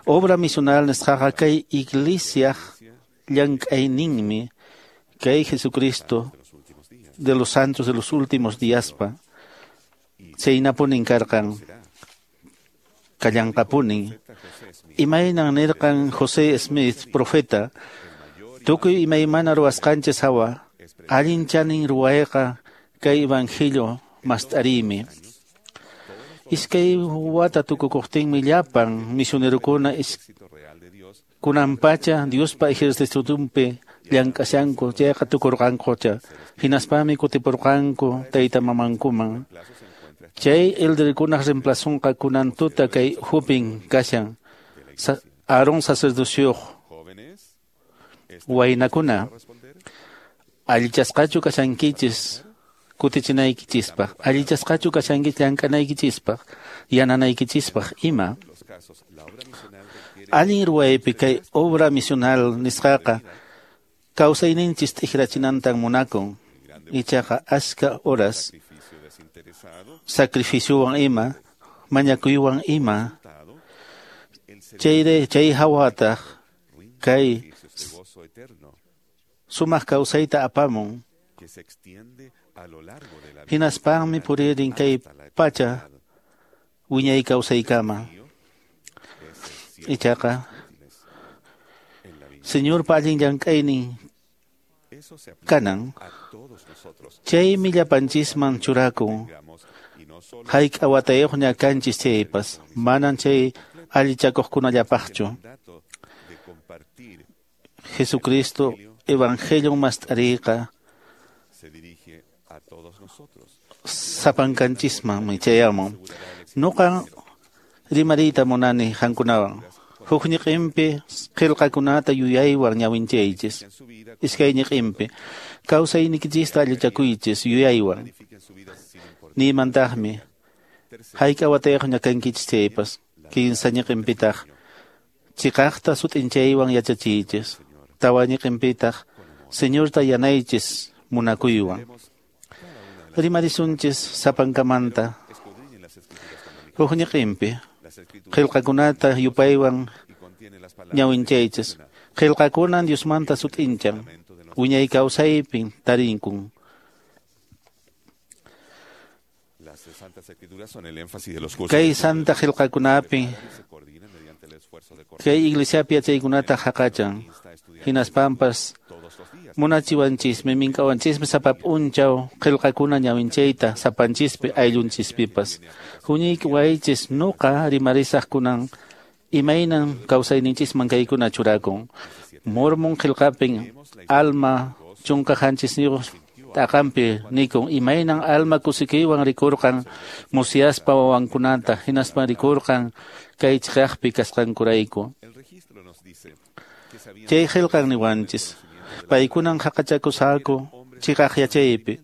Obra misional nisqaqa kay iglesiaq llank'ayninmi kay Jesucristo de los santos de los últimos díaspa chaynapunin karqan kallanqapunin. Imaynan nirqan José Smith profeta tukuy imaymana ruwasqanchis hawa allin chanin ruwayqa kay evangelio mast'ariymi. Iskay wata tukukuqtinmi llapan misionerukuna kunanpacha Diospa ejercitonpi llank'ashanku chayqa tukurqankucha. Hinaspami kutipurqanku tayta mamankuman. Chay elderkunaq reemplazonqa kunan tuta kay hupin kashan Sa Aarón sacerdocioq waynakuna allichasqachu kashankichis kutichinaykichispaq, allichasqachu kashankichis llank'anaykichispaq, yananaykichispaq ima. Allin ruwaypi kay obra misional nisqaqa kawsayninchis t'ikrachinantan munakun. Ichaqa aska horas sacrificiowan ima, mañakuywan ima, chayre chay hawataq kay sumaq kawsayta apamun. Hinaspanmi puririn kay pacha wiñay kawsaykama. Ichaqa Señorpa allin llank'aynin kanan chaymi llapanchisman churakun. Hayk'a watayuqña kanchis chaypas manan chay allichakuqkunallapaqchu. Jesucristo evangelio mast'ariyqa sapankanchismanmi chayamun. Nuqa Rimariyta munani qankunawan. Huk ñiqinpi qillqakunata yuyaywan ñawinchaychis. Iskay ñiqinpi kawsaynikichista allichakuychis yuyaywan. Niymantaqmi hayk'a watayuqña kankichis chaypas. Kinsa ñiqinpitaq chiqaqta sut'inchaywan yachachiychis. Tawa ñiqinpitaq Señorta yanaychis munakuywan. Rimarisunchis sapankamanta. Huk ñiqinpi qillqakunata yupaywan ñawinchaychis. Qillqakunan Diosmanta sut'inchan. Wiñay kawsaypin tarinkun. Kay santa qillqakunapi kay iglesiapi yachaykunata haqachan. Hinaspampas munachiwanchismi minkawanchismi sapa p'unchaw qillqakuna ñawinchayta sapanchispi ayllunchispipas. Huñiykiwaychis nuqa rimarisaq kunan imaynan kawsayninchisman kaykuna churakun. Mormon qillqapin alma chunka qanchisniyuq t'aqanpi nikun imaynan alma kusikuywan rikurqan musyaspa wawankunata hinaspa rikurqan kay chiqaqpi kasqankurayku. Chay qillqan niwanchis paykunan haqachakusqaku chiqaq yachaypi.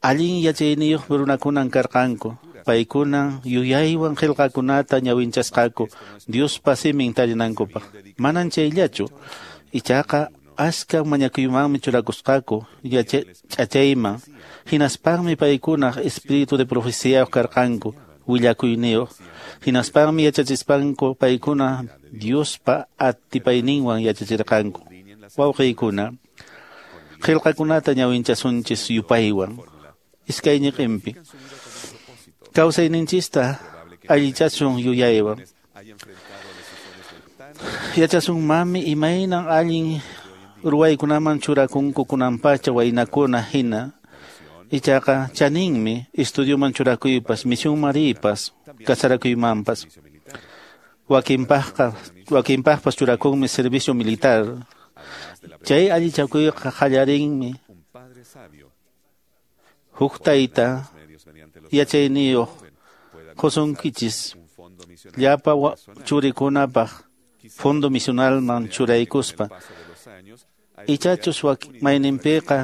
Allin yachayniyuq runakunan karqanku. Paykunan yuyaywan qillqakunata ñawinchasqaku Diospa simin tarinankupaq. Manan chayllachu. Ichaqa aska mañakuymanmi churakusqaku ch'achayman. Hinaspanmi paykunaq espíritu de profeciyayuq karqanku willakuyniyuq. Hinaspanmi yachachispanku paykuna Diospa atipayninwan yachachirqanku. Wawqiykuna, qillqakunata ñawinchasunchis yupaywan. Iskay ñiqinpi kawsayninchista allichasun yuyaywan. Yachasunmanmi imaynan allin ruwaykunaman churakunku kunanpacha waynakuna hina. Ichaqa chaninmi estudioman churakuypas, misionman riypas, kasarakuymanpas. Wakinpaqqa wakinpaqpas churakunmi servicio militar. Chay allichakuyqa qallarinmi huk tayta yachayniyuq qusunkichis llapa churikunapaq fondo misionalman churaykuspa. Ichachus mayninpiqa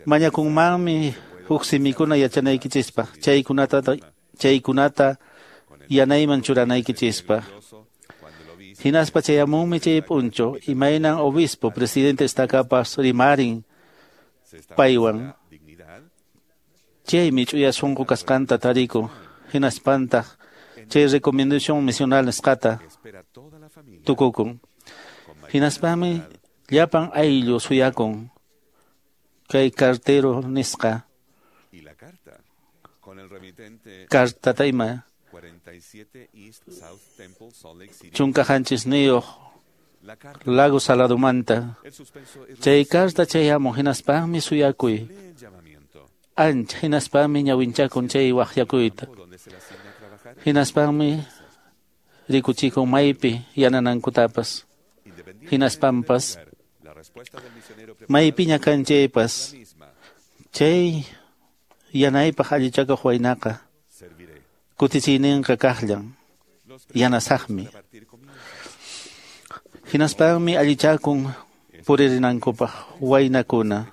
mañakunmanmi huk simikuna yachanaykichispaq, chaykunata chaykunata yanayman churanaykichispaq. Hinaspa chayamunmi chay p'unchaw imaynan obispo presidente estakapas rimarin paywan. Chaymi ch'uya sunqu kasqanta tarikun. Hinaspantaq chay recomendación misional nisqata tukukun. Hinaspami llapan ayllu suyakun kay cartero nisqa cartata ima chunka qanchisniyuq Lago Saladomanta. Chay carta chayamun hinaspami suyakuy ancha hinaspami ñawinchakun chay waqyakuyta. Hinaspami rikuchikun maypi yananankutapas. Hinaspampas maypiña kan chaypas chay yanaypaq allichakuq waynaqa kutichiyninqa kaqllan yanasaqmi. Hinaspami allichakun puririnankupaq waynakuna.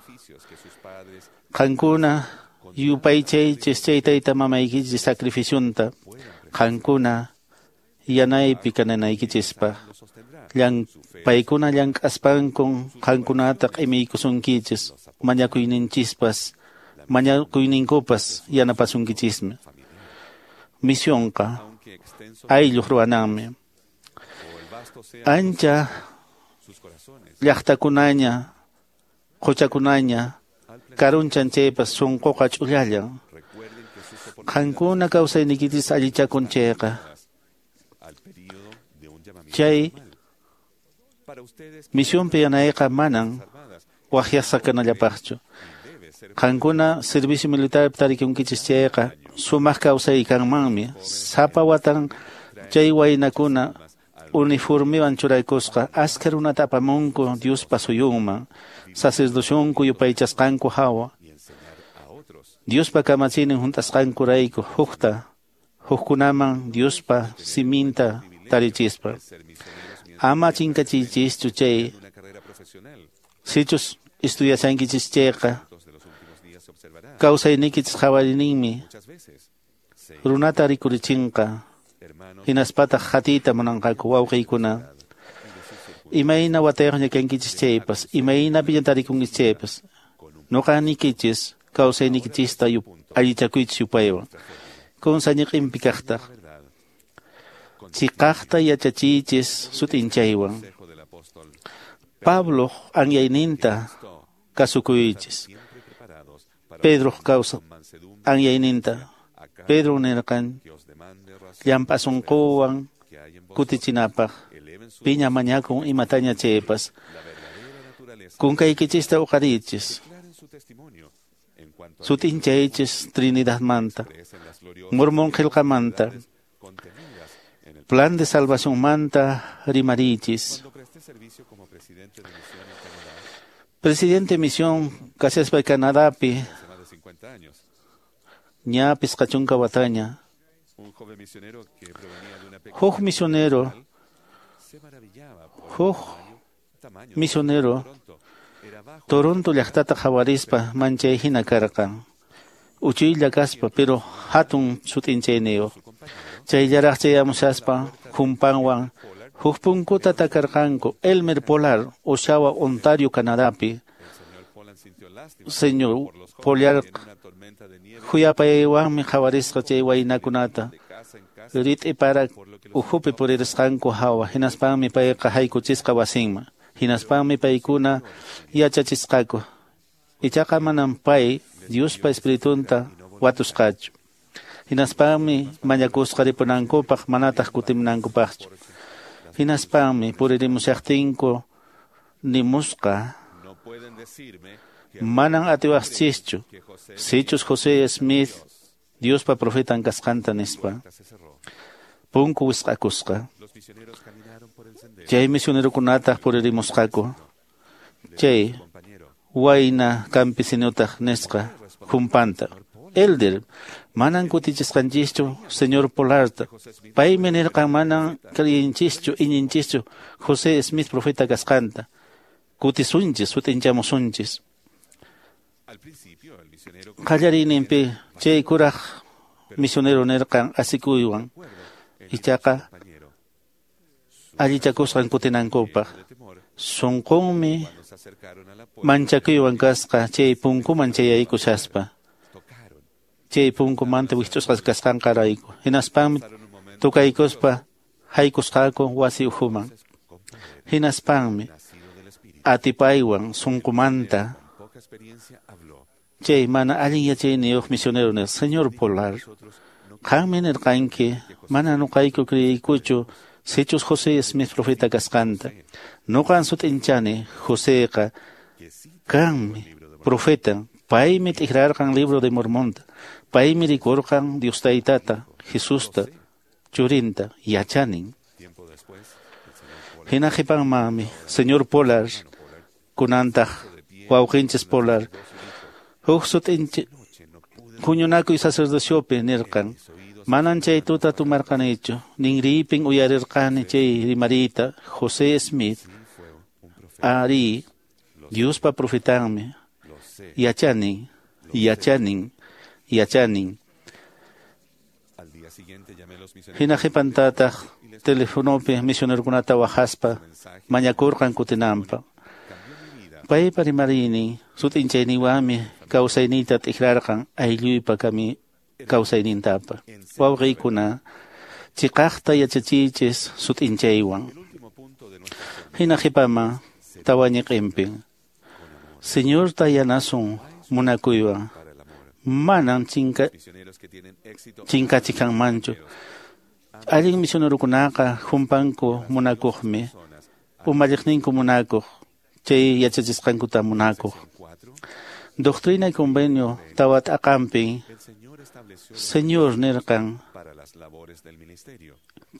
Qankuna yupaychaychis chay tayta mamaykichis sacrificionta qankuna yanaypi kananaykichispaq. Llan paykuna llank'aspankun qankunata q'imiykusunkichis mañakuyninchispas mañakuyninkupas yanapasunkichismi. Misionqa aylluq ruwananmi. Ancha llaqtakunaña quchakunaña karunchan chaypas sunquqa ch'ullallan. Qankuna kawsaynikichis allichakun chayqa chay misionpi yanayqa manan waqyasqa kanallapaqchu. Qankuna servicio militar tarikunkichis chayqa sumaq kawsay kanmanmi. Sapa watan chay waynakuna uniformiwan churaykusqa askha runata apamunku Diospa suyunman sacerdocionku yupaychasqanku hawa. Diospa kamachiynin hunt'asqankurayku hukta Hukkunaman Diospa siminta tarichispa. Ama chinkachiychischu chay sichus estudiashankichis chayqa kawsaynikichis qhawariyninmi runata rikurichinqa hinaspataq qatiyta munanqaku wawqiykuna. Imayna watayuqña kankichis chaypas, imaynapiña tarikunkichis chaypas, nuqa niykichis kawsaynikichista allichakuychis yupaywan. Kunsañiqinpi kaqtaq chiqaqta yachachiychis sut'inchaywan. Pabloq anyayninta kasukuychis. Pedroq kawsa anyayninta. Pedro nirqan llamp'a sunquwan kutichinapaq piña mañakun imataña chaypas. Kunkaykichista uqariychis. Sut'inchaychis Trinidadmanta, Mormón qillqamanta, plan de salvacionmanta rimariychis. Presidente misión kashaspa Canadapi ña pisqa chunka wataña. Huk misionero, huk misionero Toronto llaqtata qhawarispa manchay hina karqan. Uchuylla kaspa, pero hatun sut'inchayniyuq. Chayllaraq chayamushaspa khumpanwan huk punkuta takarqanku Elmer Polar, Oshawa, Ontario, Canadapi. Señor Polar khuyapayaywanmi qhawarisqa chay waynakunata. Rit'ipara ukhupi puririsqanku hawa, hinaspanmi payqa haykuchisqa wasinman. Hinaspanmi paykuna yachachisqaku. Ichaqa manam pay Diospa espiritunta watusqachu. Hinaspanmi mañakusqa ripunankupaq manataq kutimunankupaqchu. Hinaspanmi puririmushaqtinku nimusqa manan atiwaqchischu sichus José Smith Diospa profetan kasqanta nispa. Punku wisq'akusqa. Chay misionerokunataq puririmusqaku. Chay wayna campesinotaq nisqa humpanta. Elder, manan kutichisqanchischu señor Polarta. Paymi nirqan manan creyinchischu iñinchischu José Smith profeta kasqanta. Kutisunchis, sut'inchamusunchis. Qallariyninpi chay kuraq misionero nirqan asikuywan. Ichaqa allichakusqan kutinankupaq. Sunqunmi manchakuywan kasqa chay punkuman chayaykushaspa. Chay punkumanta wich'usqa kasqanqarayku. Hinaspanmi tukaykuspa haykusqaku wasi ukhuman. Hinaspanmi atipaywan sunqumanta chay mana allin yachayniyuq misionero nirqa, Señor Polar, qanmi nirqanki mana nuqayku kriyaykuchu sichus José Smith profeta kasqanta. Nuqan sut'inchani Joseqa kanmi profeta. Paymi t'ikrarqan libro de Mormonta. Paymi rikurqan Dios Taytata, Jesusta, Churinta, yachanin. Hina qhipanmanmi Señor Polar kunantaq wawqinchis Polar huk sut'inchi huñunakuy sacerdociopi nirqan manan chay tuta tumarqanichu ninriypin uyarirqani chay rimariyta José Smith ari Diospa profetanmi. Yachanin, yachanin, yachanin. Hina qhipantataq telefonopi misionerokunata waqaspa mañakurqan kutinanpaq. Paypa rimariynin sut'inchayninwanmi kawsayniyta t'ikrarqan aylluypa kami kawsaynintapa. Wawqiykuna chiqaqta yachachiychis sut'inchaywan. Hina qhipaman tawa ñiqinpi Señorta yanasun munakuywan manan chinka chinkachikanmanchu. Allin misionerokunaqa humpanku munakuqmi, umalliqninku munakuq, chay yachachisqankuta munakuq. Doctrina y Convenio tawa t'aqanpi Señor nirqan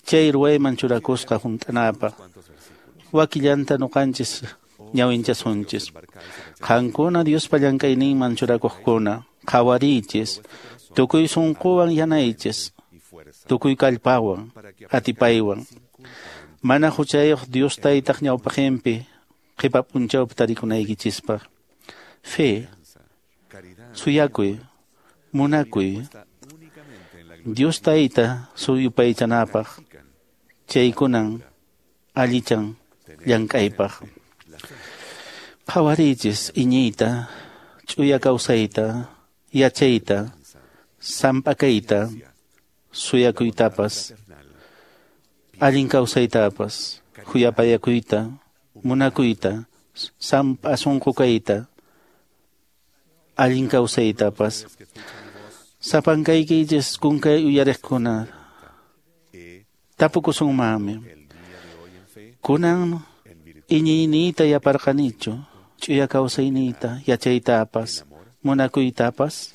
chay ruwayman churakusqa hunt'anapaq. Wakillanta nuqanchis ñawinchasunchis. Qankuna Diospa llank'ayninman churakuqkuna, qhawariychis, tukuy sunquwan yanaychis. Tukuy kallpawan, atipaywan. Mana huchayuq Dios taytaq ñawpaqinpi qhipa p'unchawpi tarikunaykichispaq. Fe, suyakuy, munakuy, Dios tayta suyupaychanapaq, chaykunan allichan llank'aypaq. Qhawariychis iñiyta, ch'uya kawsayta, yachayta, samp'akayta, suyakuytapas, allin kawsaytapas, khuyapayakuyta, munakuyta, samp'a sunqu kayta, allin kawsaytapas. Sapankaykichis kunkay uyariqkuna, tapukusunmanmi. Kunan iñiyniyta yaparqanichu, ch'uya kawsayniyta, yachaytapas, munakuytapas.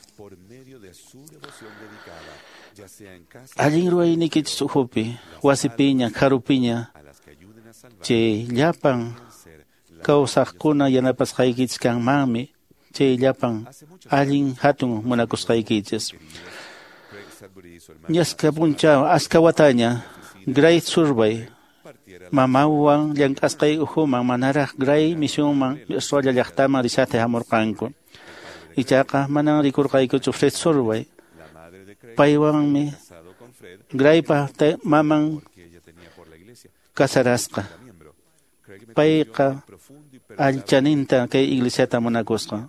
Allin ruwaynikichis ukhupi, wasipiña, kharupiña, chay llapan kawsaqkuna yanapasqaykichis kanmanmi, chay llapan allin hatun munakusqaykichis. Ñaska p'unchaw aska wataña, Gray Surbay, mamawan llank'asqay ukhuman manaraq Gray misionman Australia llaqtaman rishata hamurqanku. Ichaqa manan rikurqaykuchu Fred Surbay. Paywanmi Graypa maman kasarasqa. Payqa allchaninta kay iglesiata munakusqa.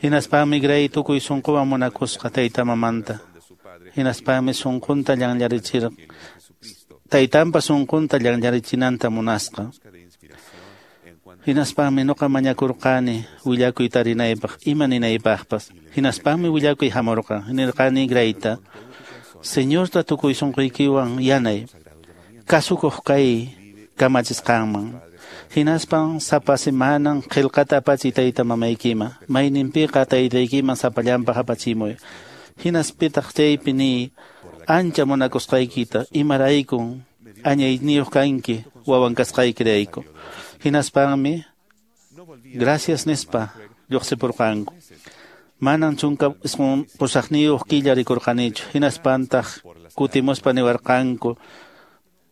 Hinaspami Gray tukuy sunquwan munakusqa tayta mamanta. Hinaspami sunqunta llanllarichir taytanpa sunqunta llanllarichinanta munasqa. Hinaspami nuqa mañakurqani willakuy tarinaypaq ima ninaypaqpas. Hinaspami willakuy hamurqa. Nirqani Grayta, Señorta tukuy sunquykiwan yanay, kasukuq kay kamachisqanman. Hinaspan sapa semanan qillqata apachiy tayta mamaykiman, mayninpiqa taytaykiman sapallanpaq apachimuy. Hinaspitaq chaypi niy ancha munakusqaykita, imaraykun añayniyuq kanki wawan kasqaykirayku. Hinaspanmi gracias nispa lluqsipurqanku. Manan chunka isqun pusaqniyuq killa rikurqanichu. Hinaspantaq kutimuspa niwarqanku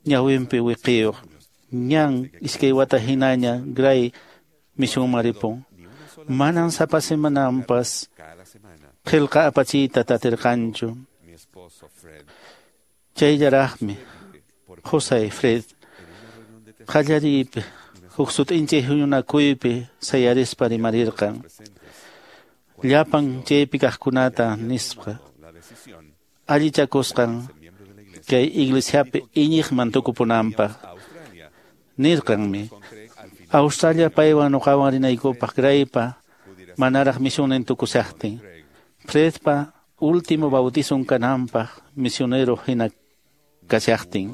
ñawinpi wiqiyuq. Ñan iskay wata hinaña Gray misionman ripun. Manan sapa semananpas qillqa apachiyta tatirqanchu. Chayllaraqmi José Fred qallariypi huk sut'inchay huñunakuypi sayarispa rimarirqan. Llapan chaypi kaqkunata nispa allichakusqan kay iglesiapi iñiqman tukupunanpaq. Nirqanmi Australia paywan nuqawan rinaykupaq Graypa manaraq misionin tukusaqtin. Fredpa último bautizon kananpaq misionero hina kashaqtin.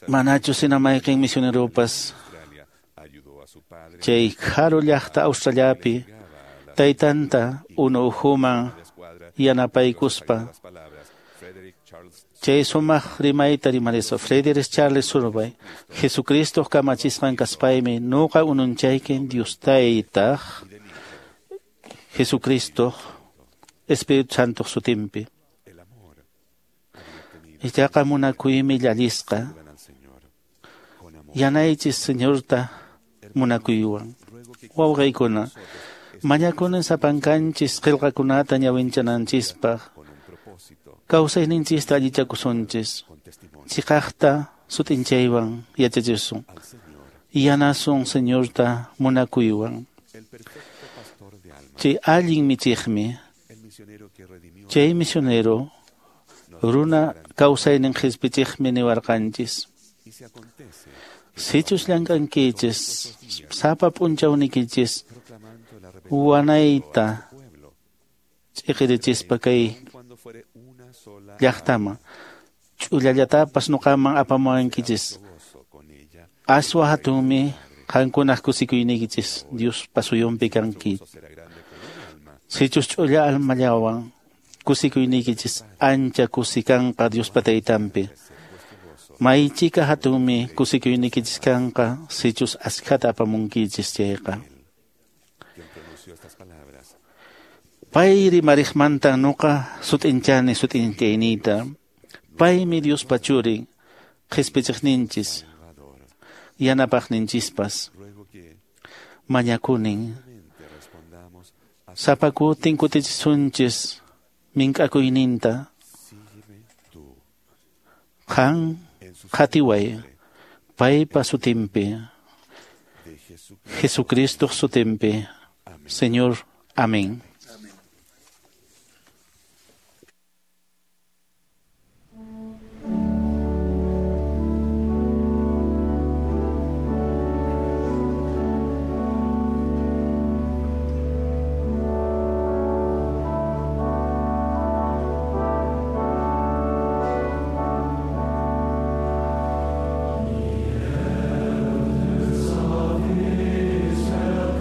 Manachus hina mayqin misioneropas chay kharu llaqta Australiapi taytanta unu ukhuman yanapaykuspa chay sumaq rimayta rimarispa. Frederick Charles Surbay, Jesucristo kamachisqan kaspaymi nuqa ununchaykin Dios taytaq Jesucristo Espíritu Santo sutinpi. Ichaqa munakuymi llallisqa. Yanaychis Señorta munakuywan. Wawqiykuna, mañakunin sapankanchis qillqakunata ñawinchananchispaq. Kawsayninchista allichakusunchis. Chiqaqta sut'inchaywan yachachisun. Yanasun Señorta munakuywan. Chay allin michiqmi, chay misionero runa kawsaynin qhispichiqmi niwarqanchis. Sichus llank'ankichis, sapa p'unchawnikichis wanayta ch'iqirichispa kay llaqtaman, ch'ullallatapas nuqaman apamuwankichis. Aswa hatunmi qankunaq kusikuynikichis Diospa suyunpi kanki. Sichus ch'ulla almallawan kusikuynikichis ancha kusikanqa Diospa taytanpi. Maychika hatunmi kusikuynikichis kanqa sichus askhata apamunkichis chayqa. Pay rimariqmantan nuqa sut'inchani sut'inchayniyta. Paymi Diospa churin, qhispichiqninchis, yanapaqninchispas. Mañakunin. Sapa kutin kutichisunchis mink'akuyninta. Qan qhatiway paypa sutinpi, Jesucristo sutinpi. Señor, amén.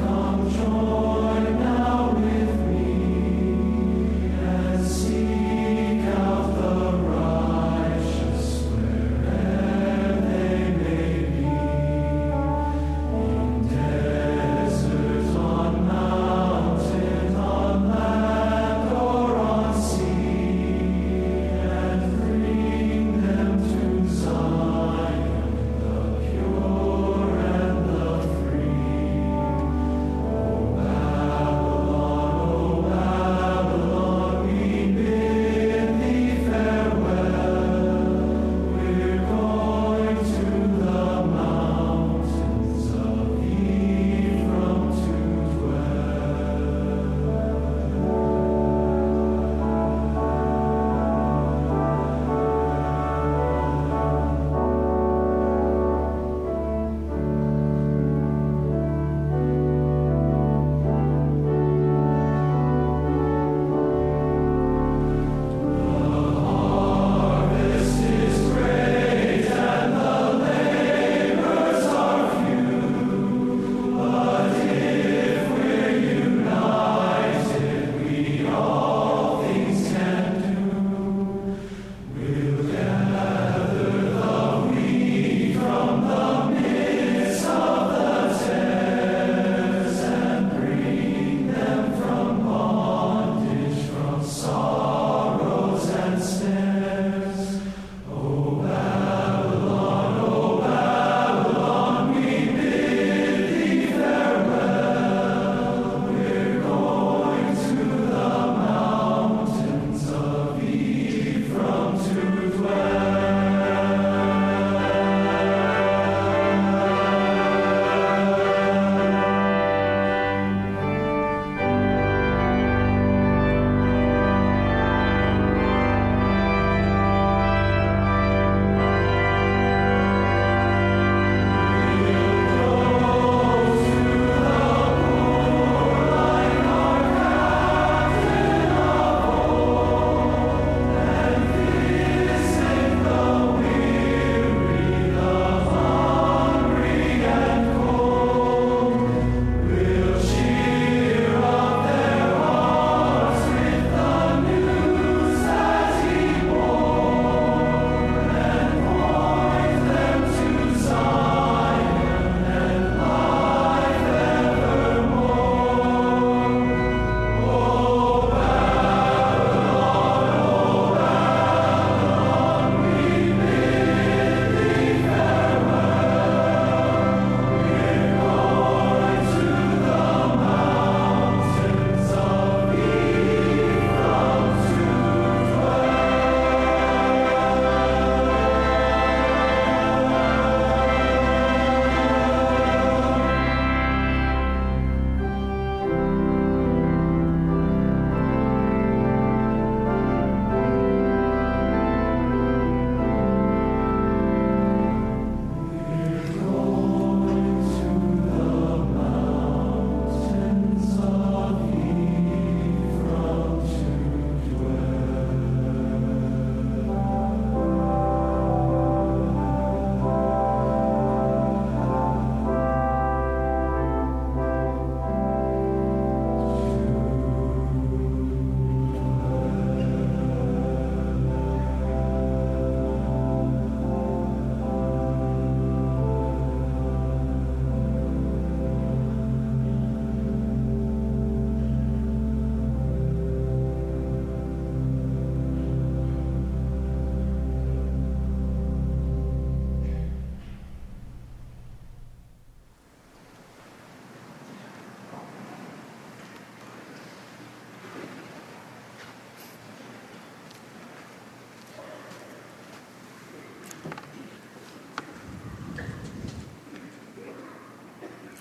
Come join now with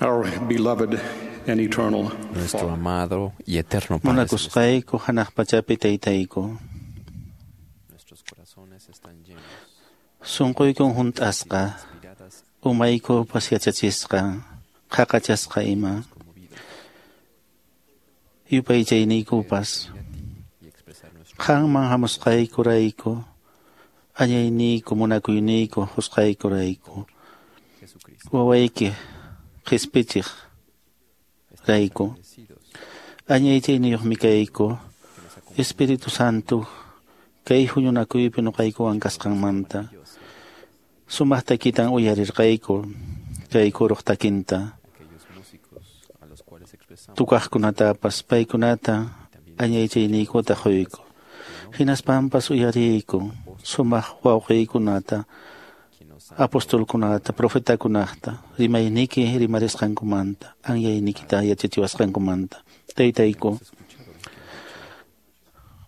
Our beloved and eternal Nuestro amado y eterno Padre Munakusqayku hanaq pachapi taytayku. Nuestros corazones están llenos Sunquykun hunt'asqa, umaykupas yachachisqa, qhaqachasqa ima. Yupaychayniykupas qanman hamusqaykurayku, añayniyku munakuyniyku husqaykurayku, wawayki qhispichiq rayku, añaychayniyuqmi kayku, Espíritu Santo kay huñunakuypi nuqaykuwan kasqanmanta. Sumaq takitan uyarirqayku kay kuruq takinta. Tukaqkunatapas paykunata añaychayniykuta quyku. Hinaspampas uyariyku sumaq wawqiykunata, apostolkunata, profetakunata, rimayniki rimarisqankumanta, anyaynikita yachachiwasqankumanta. Taytayku,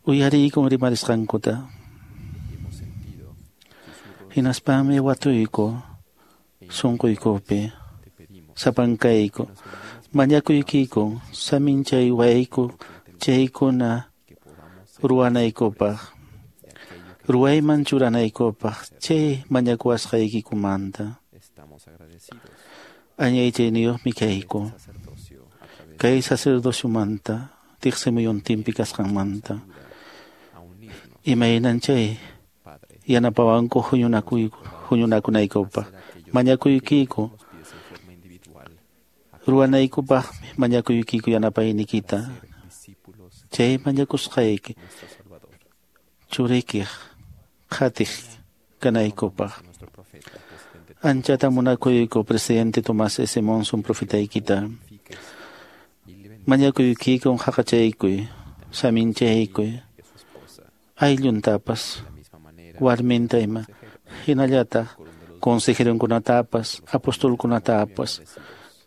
uyariykun rimarisqankuta. Hinaspami watuyku sunquykupi, sapankayku, mañakuykiku, saminchaywayku chaykuna ruwanaykupaq, ruwayman churanaykupaq chay mañakuwasqaykikumanta. Añaychayniyuqmi kayku kay sacerdociomanta, tiqsimuyuntinpi kasqanmanta. Imaynan chay yanapawanku huñunakuyku huñunakunaykupaq, mañakuykiku ruwanaykupaqmi mañakuykiku yanapaynikita. Chay mañakusqayki churikiq qhatiq kanaykupaq. Anchata munakuyku presidente Tomás S. Monson profetaykita. Mañakuykikun haqachaykuy, saminchaykuy, aylluntapas, warminta ima, hinallataq consejeronkunatapas, apostolkunatapas,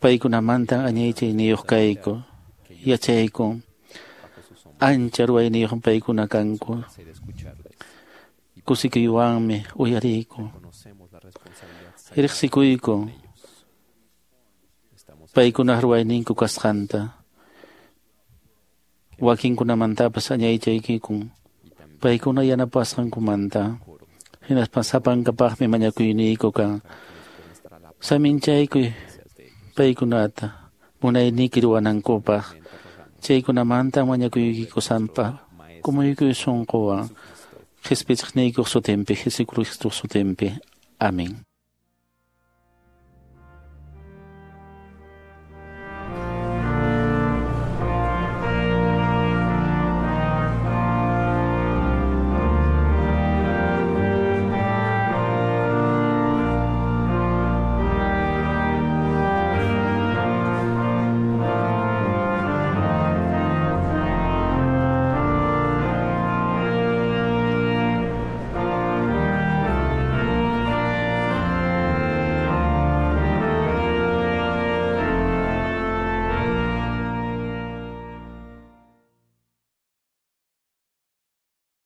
paykunamantan añaychayniyuq kayku, yachaykun, ancha ruwayniyuq paykuna kanku. Kusikuywanmi uyariyku, riqsikuyku paykunaq ruwayninku kasqanta. Wakinkunamantapas añaychaykikun paykuna yanapasqankumanta. Hinaspa sapankapaqmi mañakuyniyku kan. Saminchaykuy paykunata munayniki ruwanankupaq. Chaykunamanta mañakuykiku sampa kumuykuy sunquwan qhispichiqniykuq sutinpi, Jesucristo sutinpi. Amén.